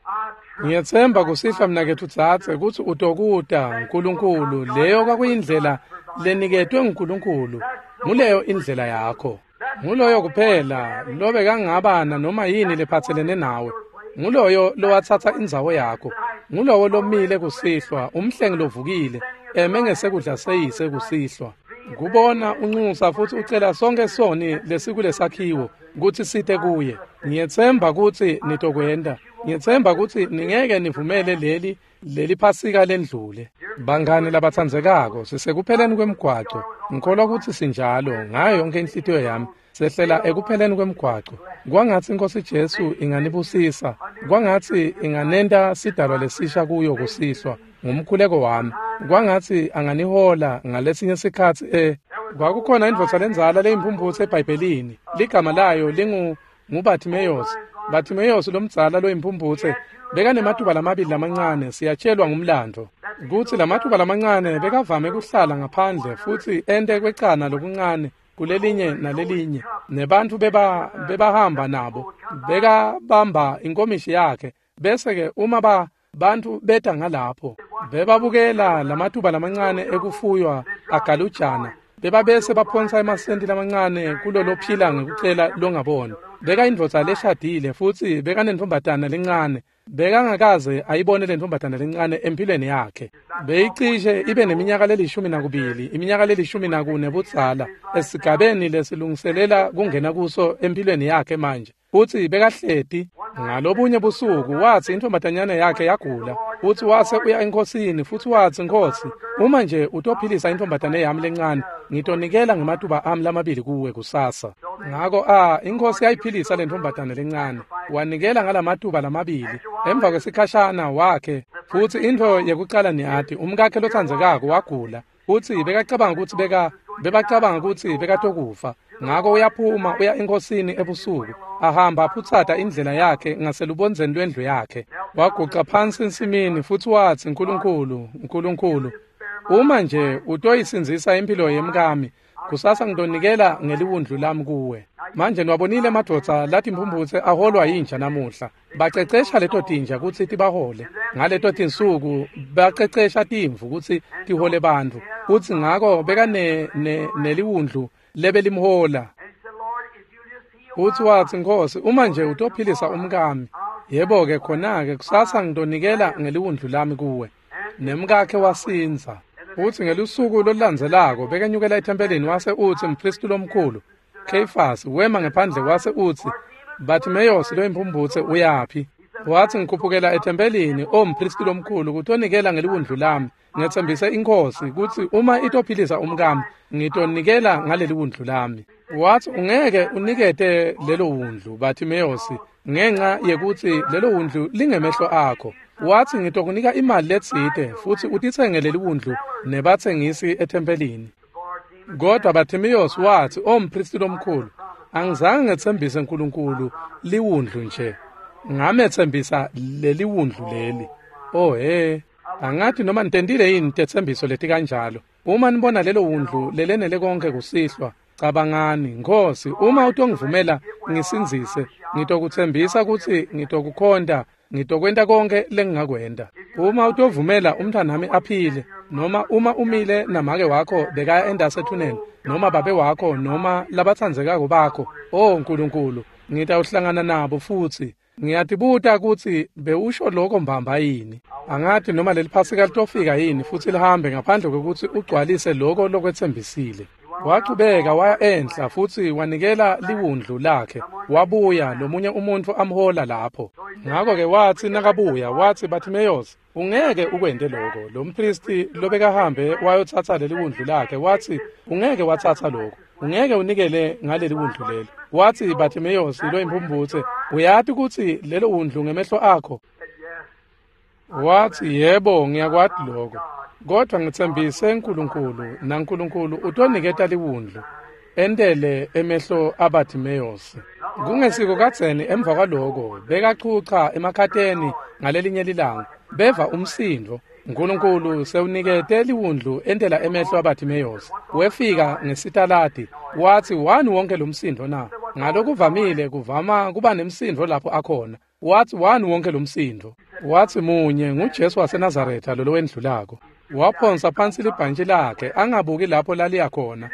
Ngiyetsemba kusihlwa mnaketfu dzadze kutsi utokuta Nkulunkulu, leyo kwakuyindlela leniketwe nguNkulunkulu, nguleyo indlela yakho. Nguloyo kuphela lobekangaba nanoma yini lephatselene nawe. Nguloyo lowatsatsa indzawo yakho. Ngulowo lomile kusihlwa, umhlengi lovukile, eme ngesekudla seyise kusihlwa. Kubona unxusa futhi ucela sonke soni lesikulesakhiwo kutsi site kuye. Ngiyetsemba kutsi nitokwenta. Ngiyetsemba kutsi ningeke nivumele leli Phasika lendlule. Bangani labatsandzekako, sisekupheleni kwemgwaco. Ngikholwa kutsi sinjalo ngayo yonke inhlitiyo yami. Sehlela ekupheleni kwemgwaco. Kwangatsi Inkosi Jesu inganibusisa. Kwangatsi inganenta sidalwa lesisha kuyo kusihlwa. Ngumkhuleko wami. Kwangatsi anganihola ngalesinye sikhatsi kwakukhona indvodza lendzala leyimphumphutse eBhayibhelini. Ligama layo lingu Bartimaeus. Bartimaeus lomdzala loyimphumphutse bekanematuba lamabili lamancane, siyatshelwa ngumlando kutsi lamatuba lamancane bekavame kuhlala ngaphandle futhi ente kwecana lokuncane kulelinye nalelinye, nebantfu bebahamba nabo bekabamba inkomishi yakhe, bese-ke uma bantfu beta ngalapho bebabukela lamatuba lamancane ekufuywa agalujana, bebabese baphonsa emasenti lamancane kulolophila ngekucela longaboni. Bekayindvodza leshadile futhi bekanentombatana lencane. Bekangakaze ayibone lentombatana lencane empilweni yakhe. Beyicishe ibe neminyaka le-12, iminyaka le-14 budzala, esigabeni lesilungiselela kungena kuso empilweni yakhe manje. Futhi bekahleti ngalobunye busuku, watsi intombatanyana yakhe yagula, futhi wase uya enkosini futhi watsi, "Nkosi, uma nje utophilisa intombatane yami lencane, ngitonikela ngematuba ami lamabili kuwe kusasa." Ngako inkosi yayiphilisa lentombatane lencane, wanikela ngalamatuba lamabili. Emva kwesikhashana wakhe futhi intfo yekucala niyati, umkakhe lotsandzekako wagula, futhi bekacabanga kutsi bebacabanga kutsi bekatokufa. Ngako uyaphuma uya enkosini ebusuku, ahamba aphutsata indlela yakhe ngaselubondzeni lwendlu yakhe. Waguca phansi ensimini futhi watsi, "Nkulunkulu, Nkulunkulu, uma nje utoyisindzisa impilo yemkami, kusasa ngitonikela ngeliwundlu lami kuwe." Manje niwabonile emadvodza latimphumphutse aholwa yinja namuhla. Bacecesha leto tinja kutsi tibahole. Ngaleto tinsuku bacecesha timvu kutsi tihole bantfu. Futsi ngako beka neliwundlu lebelimhola. Futhi watsi, "Nkosi, uma nje utophilisa umkami, yebo-ke khona-ke kusasa ngitonikela ngeliwundlu lami kuwe." Nemkakhe wasindza. Futsi ngelusuku lolulandzelako bekenyukela ethempelini, wase utsi umphristi lomkhulu Caiaphas wema ngephandle wase utsi, "Bartimaeus loyimphumphutse uyaphi?" Watsi, "Ngikhuphukela ethempelini, o mphristi lomkhulu, kutonikela ngeliwundlu lami. Ngetsembise inkosi kutsi uma itophilisa umkami, ngitonikela ngaleli wundlu lami." Watsi, "Ungeke unikete lelo wundlu, Bartimaeus, ngenxa yekutsi lelo wundlu lingemehlo akho." Watsi, "Ngitokunika imali letsite futsi utitsenge leli wundlu nebatsengisi ethempelini." Kodwa Bartimaeus watsi, "O mphristi lomkhulu, angizange ngetsembise uNkulunkulu liwundlu nje, ngametsembisa leli wundlu leli." Oh he, angathi noma nitentile yini tetsembiso leti kanjalo. Uma nibona lelo wundlu lelenele konke kusihlwa, cabangani, "Nkosi, uma utongivumela ngisindzise, ngitokutsembisa kutsi ngitokukhonta, ngitokwenta konke lengingakwenta. Uma utovumela umntwanami aphile, noma uma umile namake wakho bekaya endasethuneni, noma babe wakho, noma labatsandzekako bakho, oh Nkulunkulu, ngitawuhlangana nabo futhi." Ngiyatibuta kutsi bewusho lokho mbamba yini. Angathi noma leli Phasika litofika yini futhi lihambe ngaphandle kwekutsi ugcwalise lokho lokwetsembisile. Wachubeka waya enhla futhi wanikela liwundlu lakhe. Wabuya lomunye umuntu amhola lapho. Ngakho-ke watsi nakabuya, watsi, "Bartimaeus, ungeke ukwente lokho." Lo mphristi lobekahambe wayotsatsa leli wundlu lakhe watsi, "Ungeke watsatsa lokho. Ungeke unikele ngaleli wundlu leli." Watsi, "Bartimaeus loyimphumphutse, uyati kutsi lelo wundlu ngemehlo akho?" Watsi, "Yebo, ngiyakwati lokho. Kodwa ngitsembise uNkulunkulu, naNkulunkulu utoniketa liwundlu entele emehlo aBartimaeus." Kungesiko kadzeni emva kwaloko bekachucha emakhateni ngalelinye lilanga, beva umsindvo. Nkulunkulu sewunikete liwundlu entela emehlo aBartimaeus. Wefika ngesitaladi, watsi, "Wani wonke lo msindvo na?" Ngalokuvamile kuvama kuba nemsindvo lapho akhona. Watsi, "Wani wonke lo msindvo?" Watsi, "Munye nguJesu waseNazaretha lolo wendlulako." Waphonsa phansi libhantshi lakhe angabuki lapho laliya khona.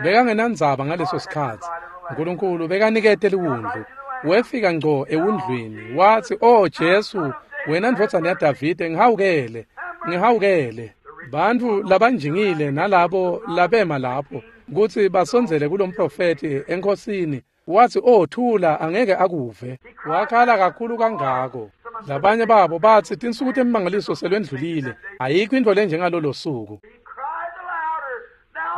Bekangenandzaba ngaleso sikhatsi. Nkulunkulu bekanikete liwundlu. Wefika ngco ewundlwini, wathi, "Oh Jesu, wena ndvodzana yaDavide, ngihawukele, ngihawukele." Bantfu labanjingile nalabo labema lapho kutsi basondzele kulomprofethi enkosini, wathi, "Oh thula, angeke akuve." Wakhala kakhulu kangako. Labanye babo batsi tinsuku temimangaliso selwendlulile, ayikho intfo lenjengalolo suku.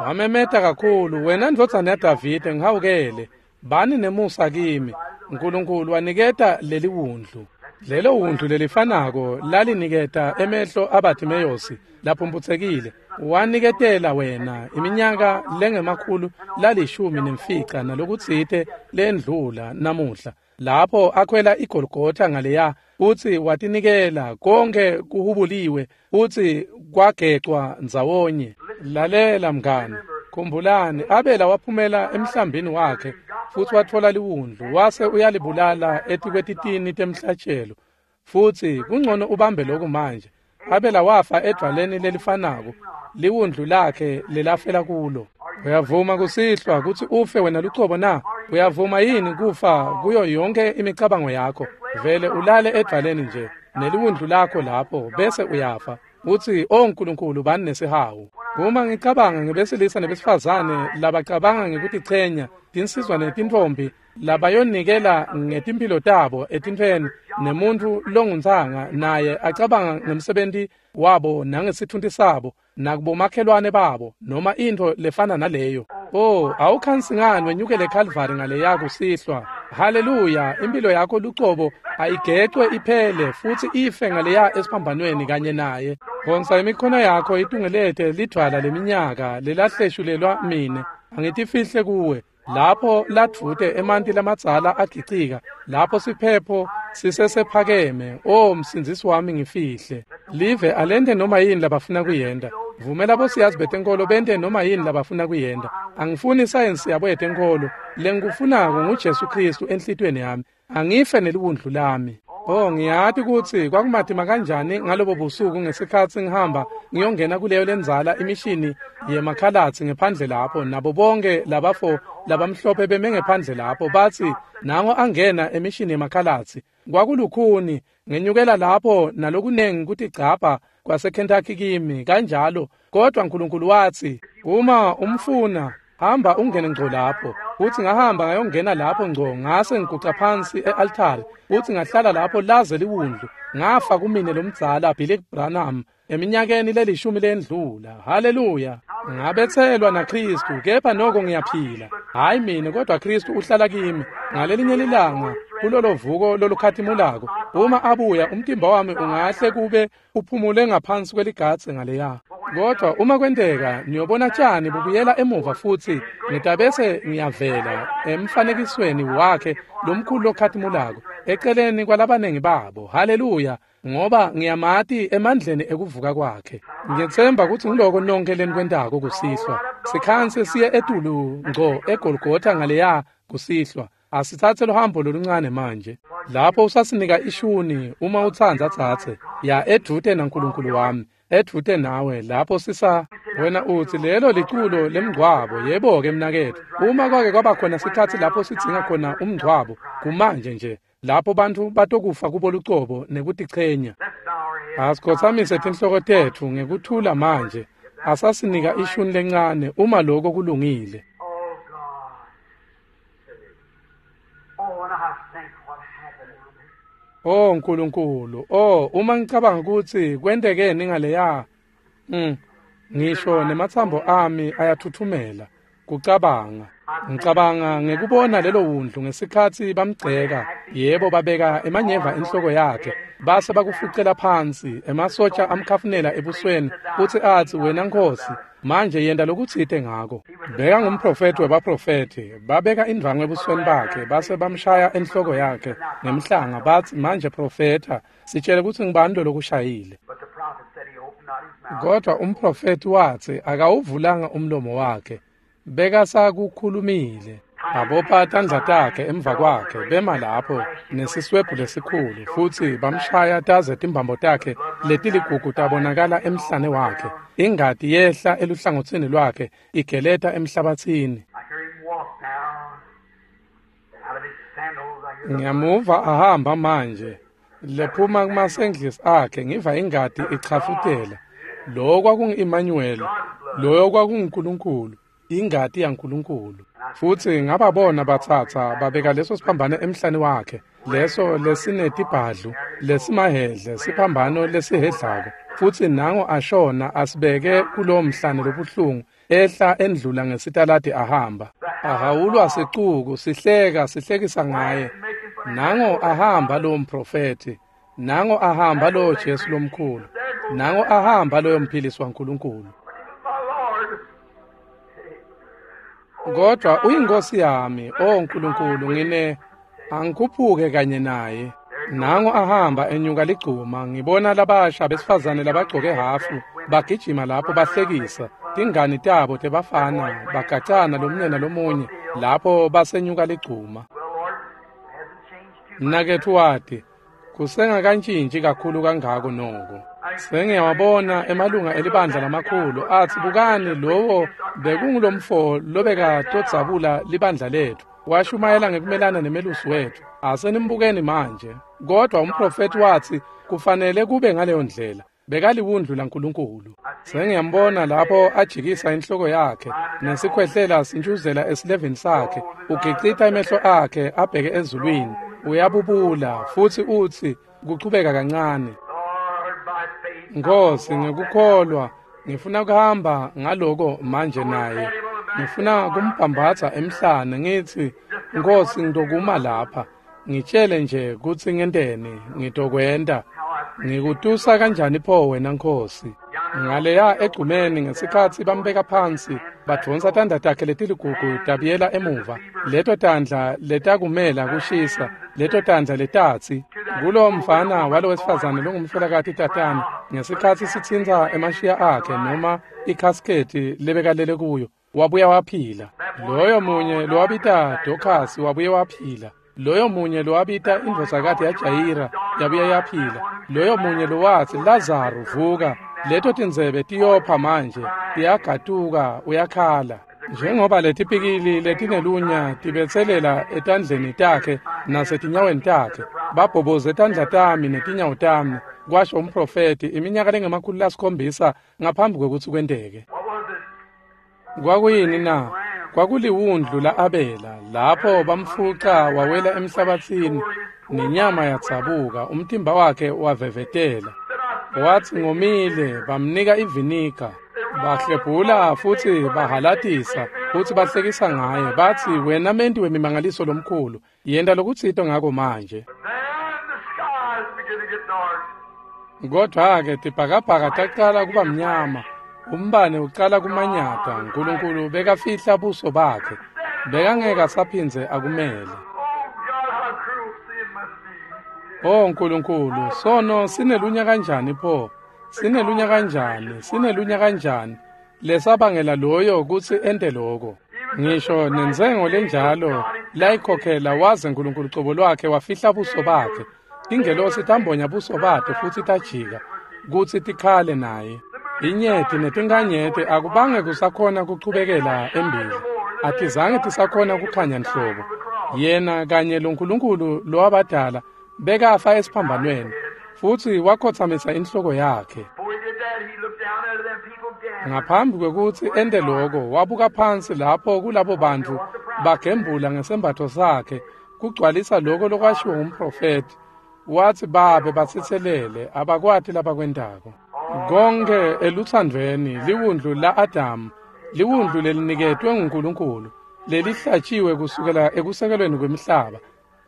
Wamemeta kakhulu, "Wena ndvodzana yaDavide, ngihawukele, bani nemusa kimi." Nkulunkulu waniketa leli wundlu. Lelo wundlu lelifanako laliniketa emehlo aBhathimeyosi laphumphutsekile, waniketela wena iminyaka lengama-115 nalokutsite lendlula namuhla, lapho akhwela iGolgotha ngaleya, utsi watinikela konke kuhubuliwe, utsi kwagecwa ndzawonye. Lalela mngani, khumbulani, Abela waphumela emhlambini wakhe futsi watfola liwundlu, wase uyalibulala etikwetitini temhlatjelo. Futsi kungcono ubambe lokhu manje. Abela wafa edvwaleni lelifanako liwundlu lakhe lelafela kulo. Uyavuma kusihlwa kutsi ufe wena lucobo na? Uyavuma yini kufa kuyo yonke imicabango yakho? Vele ulale edvwaleni nje neliwundlu lakho lapho, bese uyafa. Utsi, "Oh Nkulunkulu, bani nesihawu." Uma ngicabanga ngebesilisa nebesifazane labacabanga ngekutichenya, tinsizwa netintfombi labayonikela ngetimphilo tabo etintfweni, nemuntfu longuntsanga naye acabanga ngemsebenti wabo nangesitfunti sabo nakubomakhelwane babo noma intfo lefana naleyo. Oh, awukhansi ngani wenyukele eKhalvari ngaleya kusihlwa? Haleluya, impilo yakho lucobo ayigecwe iphele futsi ife ngaleya esiphambanweni kanye naye. Phonsa imikhono yakho itungelete lidvwala leminyaka lelahleshulelwa mine, angitifihle kuwe. Lapho ladvute emanti lamadzala agicika, lapho siphepho sisesephakeme, oh msindzisi wami ngifihle. Live alente noma yini labafuna kuyenta. Vumela bosiyazi betenkolo bente noma yini labafuna kuyenta. Angifuni isayensi yabo yetenkolo. Lengikufunako nguJesu Kristu enhlitiyweni yami. Angife neliwundlu lami. Oh, ngiyati kutsi kwakumatima kanjani ngalobo busuku ngesikhatsi ngihamba ngiyongena kuleyo lendzala imishini yemakhalatsi ngephandle lapho, nabo bonke labafo labamhlophe beme ngephandle lapho, batsi nango angena emishini yemakhalatsi. Kwakulukhuni, ngenyukela lapho nalokunengi kutigcabha kwaseKentucky kimi kanjalo, kodwa Nkulunkulu watsi, "Uma umfuna, hamba ungene ngco lapho." Uthi ngahamba ngayongena lapho ngco, ngase ngiguca phansi e-altari, uthi ngahlala lapho laze liwundlu, ngafa kumine lomdzala Billy Branham eminyakeni lelishumi lendlula. Haleluya! Ngabetselwa naKristu, kepha noko ngiyaphila. Hayi mina, kodwa Kristu uhlala kimi. Ngalelinye lilanga kulolo vuko lolukhatimulako, uma abuya, umtimba wami ungahle kube uphumule ngaphansi kweligadze ngaleya. Kodwa uma kwenteka niyobona tjani bubuyela emuva futsi ngitabese ngiyavela emfanekisweni wakhe lomkhulu lokhatimulako eceleni kwalabanengi babo. Haleluya! Ngoba ngiyamati emandleni ekuvuka kwakhe. Ngiyetsemba kutsi ngiloko nonke lenikwentako kusihlwa. Sikhanse siye etulu ngco eGolgotha ngaleya kusihlwa. Asitsatse luhambo loluncane manje. Lapho usasinika ishuni uma utsandza tsatse, ya edvute naNkulunkulu wami, edvute nawe lapho sisa. Wena utsi lelo liculo lemngcwabo. Yebo-ke mnaketfu, uma kwake kwaba khona sikhatsi lapho sidzinga khona umngcwabo, kumanje nje, lapho bantfu batokufa kubo lucobo nekutichenya. Asikhotsamise tinhloko tetfu ngekuthula manje. Asasinika ishuni lencane uma lokho kulungile. Oh Nkulunkulu, oh uma ngicabanga kutsi kwentekeni ngaleya, ngisho nematsambo ami ayathuthumela kucabanga. Ngicabanga ngekubona lelo wundlu ngesikhatsi bamgceka, yebo babeka emanyeva enhloko yakhe, base bakufucela phansi, emasotsha amkhafunela ebusweni, futsi atsi, "Wena Nkosi, manje yenta lokutsite ngako." Beka ngumprofethi webaprofethi, babeka indvwangu ebusweni bakhe, base bamshaya enhloko yakhe ngemhlanga, batsi, "Manje profetha, sitshele kutsi ngubani lokushayile." Kodwa umprofethi watsi akawuvulanga umlomo wakhe, bekasakukhulumile. Abopha tandla takhe emva kwakhe, bema lapho nesiswebhu lesikhulu, futsi bamshaya taze timbambo takhe letiligugu tabonakala emhlane wakhe. Ingati yehla eluhlangotsini lwakhe igeleta emhlabatsini. Ngiyamuva ahamba manje. Lephuma kumasendlisi akhe ngiva ingati ichafutela. Lo kwakungu-Emmanuel, loyo kwakunguNkulunkulu, ingati yaNkulunkulu. Futsi ngababona batsatsa babeka leso siphambano emhlane wakhe, leso lesinetibhadlu, lesimahhedle, siphambano lesihhedlako. Futsi nango ashona asibeke kulowo mhlane lobuhlungu, ehla endlula ngesitaladi ahamba. Ahawulwa sicuku, sihleka, sihlekisa ngaye. Nango ahamba lowo mprofethi, nango ahamba lowo Jesu lomkhulu, nango ahamba loyo mphilisi waNkulunkulu. My Lord. Kodwa uyinkosi yami, o Nkulunkulu, ngine angikhuphuke kanye naye. Nango ahamba enyuka ligcuma, ngibona labasha besifazane labagcoke hafu, bagijima lapho bahlekisa, tingani tabo tebafana, bagacana lomunye nalomunye, lapho basenyuka ligcuma. Well, Lord, hasn't changed too much. Mnaketfu wati, kusengakantshintshi kakhulu kangako noko. Sengiyawabona emalunga elibandla lamakhulu atsi bukani lowo bekungulomfo lobekatodzabula libandla letfu. Washumayela ngekumelana nemelusi wetfu. Asenimbukeni manje. Kodwa umprofethi watsi kufanele kube ngaleyo ndlela. Bekaliwundlu laNkulunkulu. Sengiyambona lapho ajikisa inhloko yakhe nesikhwehlela sintshuzela esilevini sakhe. Ugicita emehlo akhe abheke ezulwini. Uyabubula futsi utsi kuchubeka kancane. Lord, by faith, Nkosi ngekukholwa ngifuna kuhamba ngaloko manje naye. Ngifuna kumbhambatha emhlane ngithi Nkosi ngitokuma lapha. Ngitshele nje kutsi ngenteni, ngitokwenta. Ngikutusa kanjani pho wena Nkosi? Ngaleya egcumeni ngesikhatsi bambeka phansi, badvonsa tandla takhe letiligugu tabuyela emuva. Leto tandla letakumela kushisa, leto tandla letatsi kulo mfana walo wesifazane longumfelokati tatana ngesikhatsi sitsintsa emashiya akhe noma ikhasketi lebekalele kuyo, wabuya waphila. Loyo munye lowabita Dorcas wabuye waphila. Loyo munye lowabita indvodzakati yaJayira yabuye yaphila. Loyo munye lowatsi Lazaro vuka, leto tindzebe tiyopha manje, tiyagatuka uyakhala. Njengoba letipikili letinelunya tibetselela etandleni takhe nasetinyaweni takhe, babhoboze tandla tami netinyawo tami, kwasho umprofethi iminyaka lengama-700 ngaphambi kwekutsi kwenteke. What was it? Kwakuyini na? Kwakuliwundlu la-Abela, lapho bamfuca wawela emhlabathini, nenyama yadzabuka, umtimba wakhe wavevetela. Watsi ngomile, bamnika iviniga, bahlebhula futsi bahalatisa, futsi bahlekisa ngaye, batsi wena menti wemimangaliso lomkhulu, yenta lokutsite ngako manje. Then the skies begin to get dark. Kodwa-ke tibhakabhaka tacala kuba mnyama, umbane ucala kumanyata, Nkulunkulu bekafihla buso bakhe, bekangeke asaphindze akumele. Oh God, how cruel sin must be. Oh Nkulunkulu, sono sinelunya kanjani pho? Sinelunya kanjani? Sinelunya kanjani? Lesabangela loyo kutsi ente loko. Ngisho nentsengo lenjalo layikhokhela waze Nkulunkulu cobo lwakhe wafihla buso bakhe. Tingelosi tambonya buso bakhe futsi tajika kutsi tikhale naye. Inyeti netinkanyeti akubange kusakhona kuchubekela embili. Atizange tisakhona kukhanya nhlobo. Yena kanye loNkulunkulu lowabadala bekafa esiphambanweni futsi wakhotsamisa inhloko yakhe. Before he did that, he looked down at them people gathered. Ngaphambi kwekutsi ente loko, wabuka phansi lapho kulabo bantfu bagembula ngesembatfo sakhe, kugcwalisa loko lokwashiwo ngumprofethi. Watsi babe batsitselele, abakwati labakwentako. Konke eluthandvweni liwundlu la-Adamu, liwundlu leliniketwe nguNkulunkulu, lelihlatshiwe kusukela ekusekelweni kwemhlaba.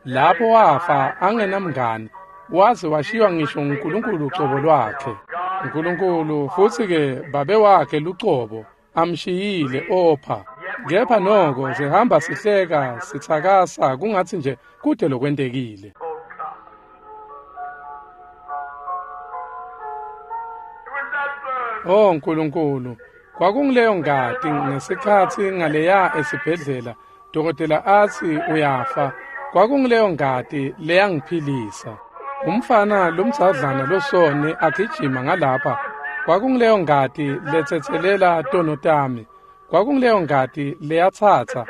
Lapho wafa angenamngani, waze washiywa ngisho nguNkulunkulu ucobo lwakhe. Nkulunkulu futsi-ke babe wakhe lucobo amshiyile opha. Kepha noko sihamba sihleka sitsakasa kungatsi nje kude lokwentekile. Oh God. It was that blood. Oh Nkulunkulu, kwakungileyo ngati ngesikhatsi ngaleya esibhedlela, dokotela atsi uyafa. Kwakungileyo ngati leyangiphilisa. Umfana lomdzadlana losone agijima ngalapha. Kwakungileyo ngati letsetselela tono tami. Kwakungileyo ngati leyatsatsa,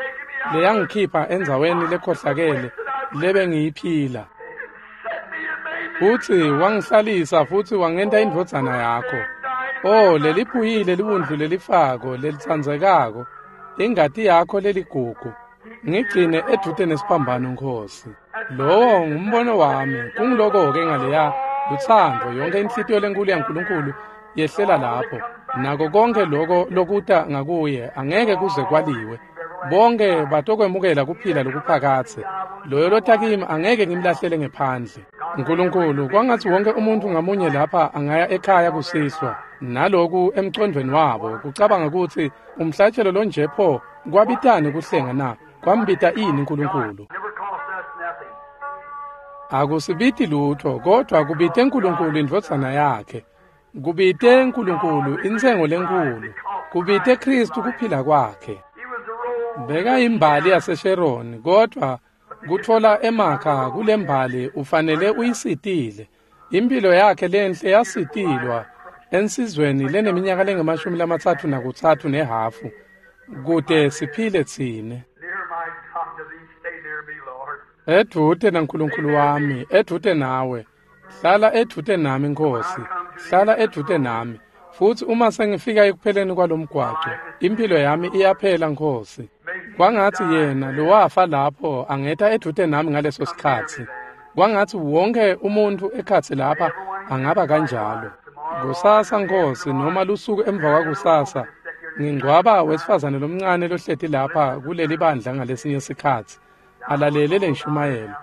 leyangikhipha endzaweni lekhohlakele, lebengiyiphila. Futsi wangihlalisa futsi wangenta indvodzana yakho. Oh, leliphuyile liwundlu lelifako lelitsandzekako, ingati yakho leligugu. Ngigcine edvute nesiphambano Nkosi. Lowo ngumbono wami, kungiloko-ke ngaleya lutsandvo, yonke inhlitiyo lenkulu yaNkulunkulu yehlela lapho. Nako konke loko lokuta ngakuye angeke kuze kwaliwe. Bonke batokwemukela kuphila lokuphakadze. Loyo lota kimi angeke ngimlahlele ngephandle. Nkulunkulu, kwangatsi wonke umuntfu ngamunye lapha angaya ekhaya kusihlwa naloku emcondvweni wabo kucabanga kutsi umhlatshelo lonje pho kwabitani kuhlenga na? Kwambita ini Nkulunkulu? Akusibiti lutho, kodwa kubite Nkulunkulu indvodzana yakhe. Kubite Nkulunkulu intsengo lenkulu. Kubite Kristu kuphila kwakhe. Beka imbali yaseSheroni, kodwa kutfola emakha kulembali ufanele uyisitile. Impilo yakhe lenhle yasitilwa ensizweni leneminyaka lengamashumi 33 nehafu kute siphile tsine. Edvute naNkulunkulu wami, edvute nawe. Hlala edvute nami Nkosi, hlala edvute nami. Futsi uma sengifika ekupheleni kwalomgwaco, impilo yami iyaphela Nkosi. Kwangatsi yena lowafa lapho angeta edvute nami ngaleso sikhatsi. Kwangatsi wonke umuntfu ekhatsi lapha angaba kanjalo. Kusasa Nkosi, noma lusuku emva kwakusasa, ngingcwaba wesifazane lomncane lohleti lapha kuleli bandla ngalesinye sikhatsi, alalele lenshumayelo.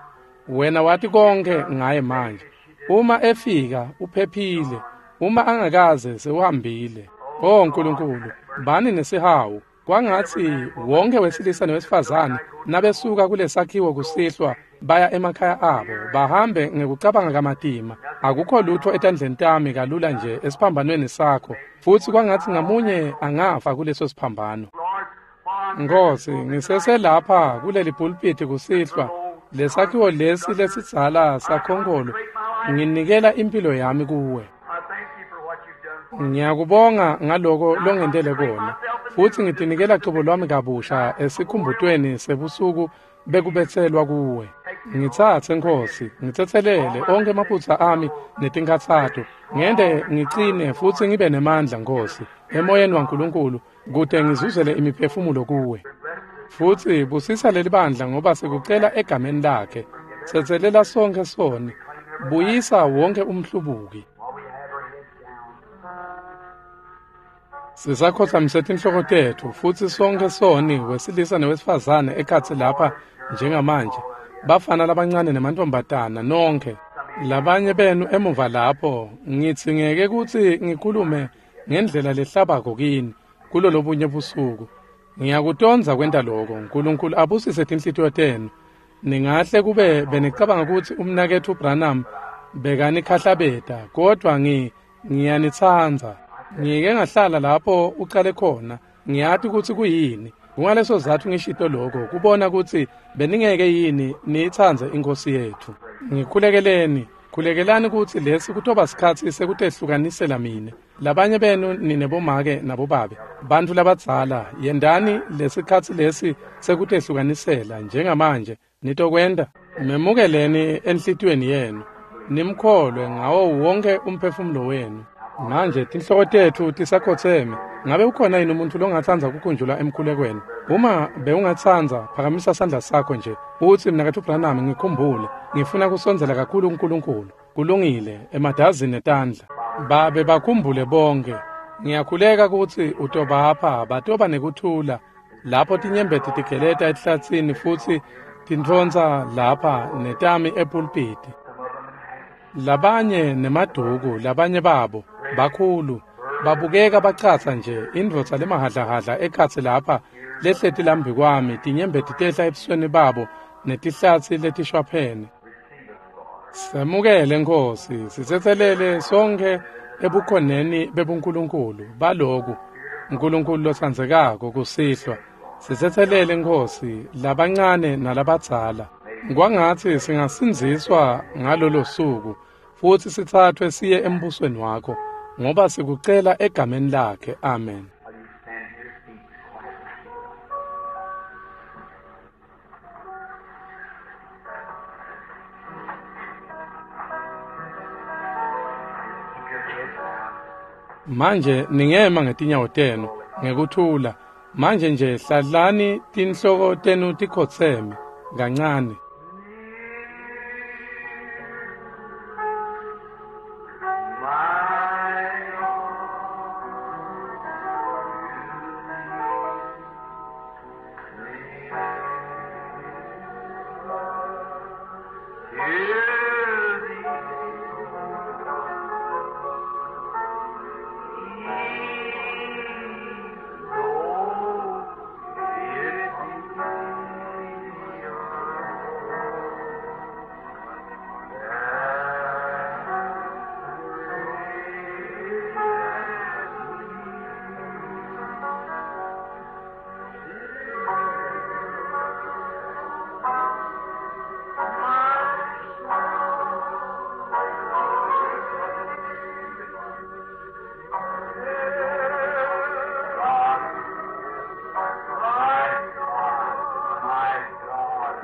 Wena wati konke ngaye manje. Uma efika uphephile, uma angakaze sewuhambile. Oh Nkulunkulu, bani nesihawu. Kwangatsi wonke wesilisa newesifazane nabesuka kulesakhiwo kusihlwa baya emakhaya abo, bahambe ngekucabanga kamatima. Akukho lutho etandleni tami kalula nje esiphambanweni sakho, futsi kwangatsi ngamunye angafa kuleso siphambano. Nkosi, ngiseselapha kuleli pulpiti kusihlwa, lesakhiwo lesi lesidzala sakhonkolo, nginikela impilo yami kuwe. Ngiyakubonga ngaloko longentele kona, futsi ngitinikela cobo lwami kabusha esikhumbutweni sebusuku bekubetselwa kuwe. Ngitsatse Nkosi, ngitsetselele onkhe emaphutsa ami netinkhatsato, ngente ngicine futsi ngibe nemandla Nkosi, emoyeni waNkulunkulu, kute ngizuzele imiphefumulo kuwe. Futsi busisa leli bandla ngoba sikucela egameni lakhe. Tsetselela sonke soni, buyisa wonke umhlubuki. Sisakhotsamise tinhloko tetfu futsi sonke soni wesilisa newesifazane ekhatsi lapha njengamanje, bafana labancane nemantfombatana nonke. Labanye benu emuva lapho, ngidzingeke kutsi ngikhulume ngendlela lehlabako kini kulolobunye busuku. Ngiyakutondza kwenta loko. Nkulunkulu abusise tinhlitiyo tenu. Ningahle kube benicabanga kutsi umnaketfu Branham bekanikhahlabeta, kodvwa ngiyanitsandza. Ngike ngahlala lapho ucale khona, ngiyati kutsi kuyini. Kungaleso sizatfu ngishito loko, kubona kutsi beningeke yini niyitsandze iNkhosi yetfu. Ngikhulekeleni, khulekelani kutsi lesi kutoba sikhatsi sekutehlukanisela mine. Labanye benu nine bomake nabobabe, bantfu labadzala, yendani lesikhatsi lesi sekutehlukanisela njengamanje nitokwenta. Memukeleni enhlitiyweni yenu, nimkholwe ngawo wonke umphefumulo wenu. Manje tinhloko tetfu tisakhotseme. Ngabe ukhona yini umuntfu longatsandza kukhunjulwa emkhulekweni? Uma bewungatsandza, phakamisa sandla sakho nje utsi, mnaketfu Branham, ngikhumbule, ngifuna kusondzela kakhulu kuNkulunkulu. Kulungile, emadazini etandla. Babe bakhumbule bonke. Ngiyakhuleka kutsi utobapha batoba nekuthula lapho tinyembeti tigeleta ehlatsini futsi tintfontsa lapha netami epulpiti. Labanye nemaduku, labanye babo bakhulu, babukeka bacatsa nje, indvodza lemahadlahadla ekhatsi lapha lehleti lambi kwami, tinyembeti tehla ebusweni babo netihlatsi letishwaphene. Semukele Nkosi, sitsetselele sonke ebukhoneni bebuNkulunkulu baloku. Nkulunkulu lotsandzekako kusihlwa, sitsetselele Nkosi, labancane nalabadzala. Kwangatsi singasindziswa ngalolo suku futsi sitsathwe siye embusweni wakho, ngoba sikucela egameni lakhe. Amen. Manje ningema ngetinyawo tenu ngekuthula. Manje nje hlalani tinhloko tenu tikhotseme kancane.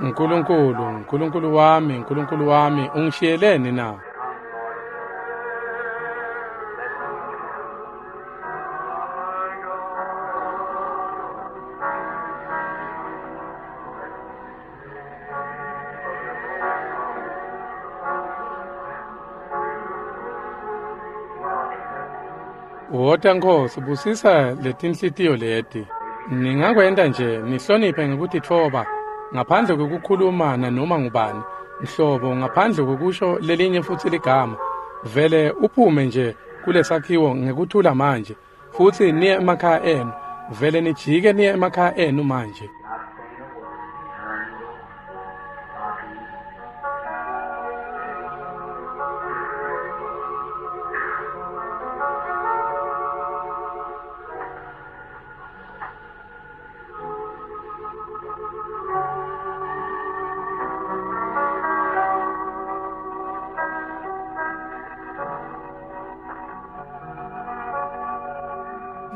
Nkulunkulu, Nkulunkulu wami, Nkulunkulu wami, ungishiyeleni na? Wota Nkosi, busisa letinhlitiyo leti. Ningakwenta nje nihloniphe ngekutitfoba ngaphandle kwekukhuluma nanoma ngubani nhlobo, ngaphandle kwekusho lelinye futsi ligama. Vele uphume nje kulesakhiwo ngekuthula manje, futsi niye emakhaya enu. Vele nijike niye emakhaya enu manje.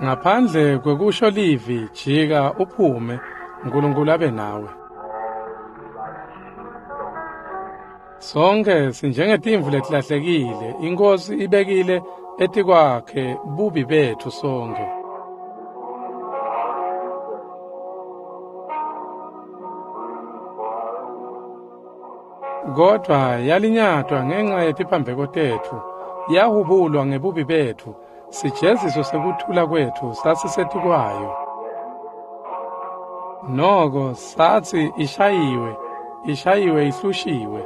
Ngaphandle kwekusho livi, jika uphume, Nkulunkulu abe nawe. Sonke sinjengetimvu letilahlekile, iNkosi ibekile etikwakhe bubi betfu sonke. Kodvwa yalinyatwa ngenxa yetiphambeko tetfu, yahubulwa ngebubi betfu. Sijeziso sekuthula kwetfu sasisetikwayo. Noko satsi ishayiwe, ishayiwe ihlushiwe.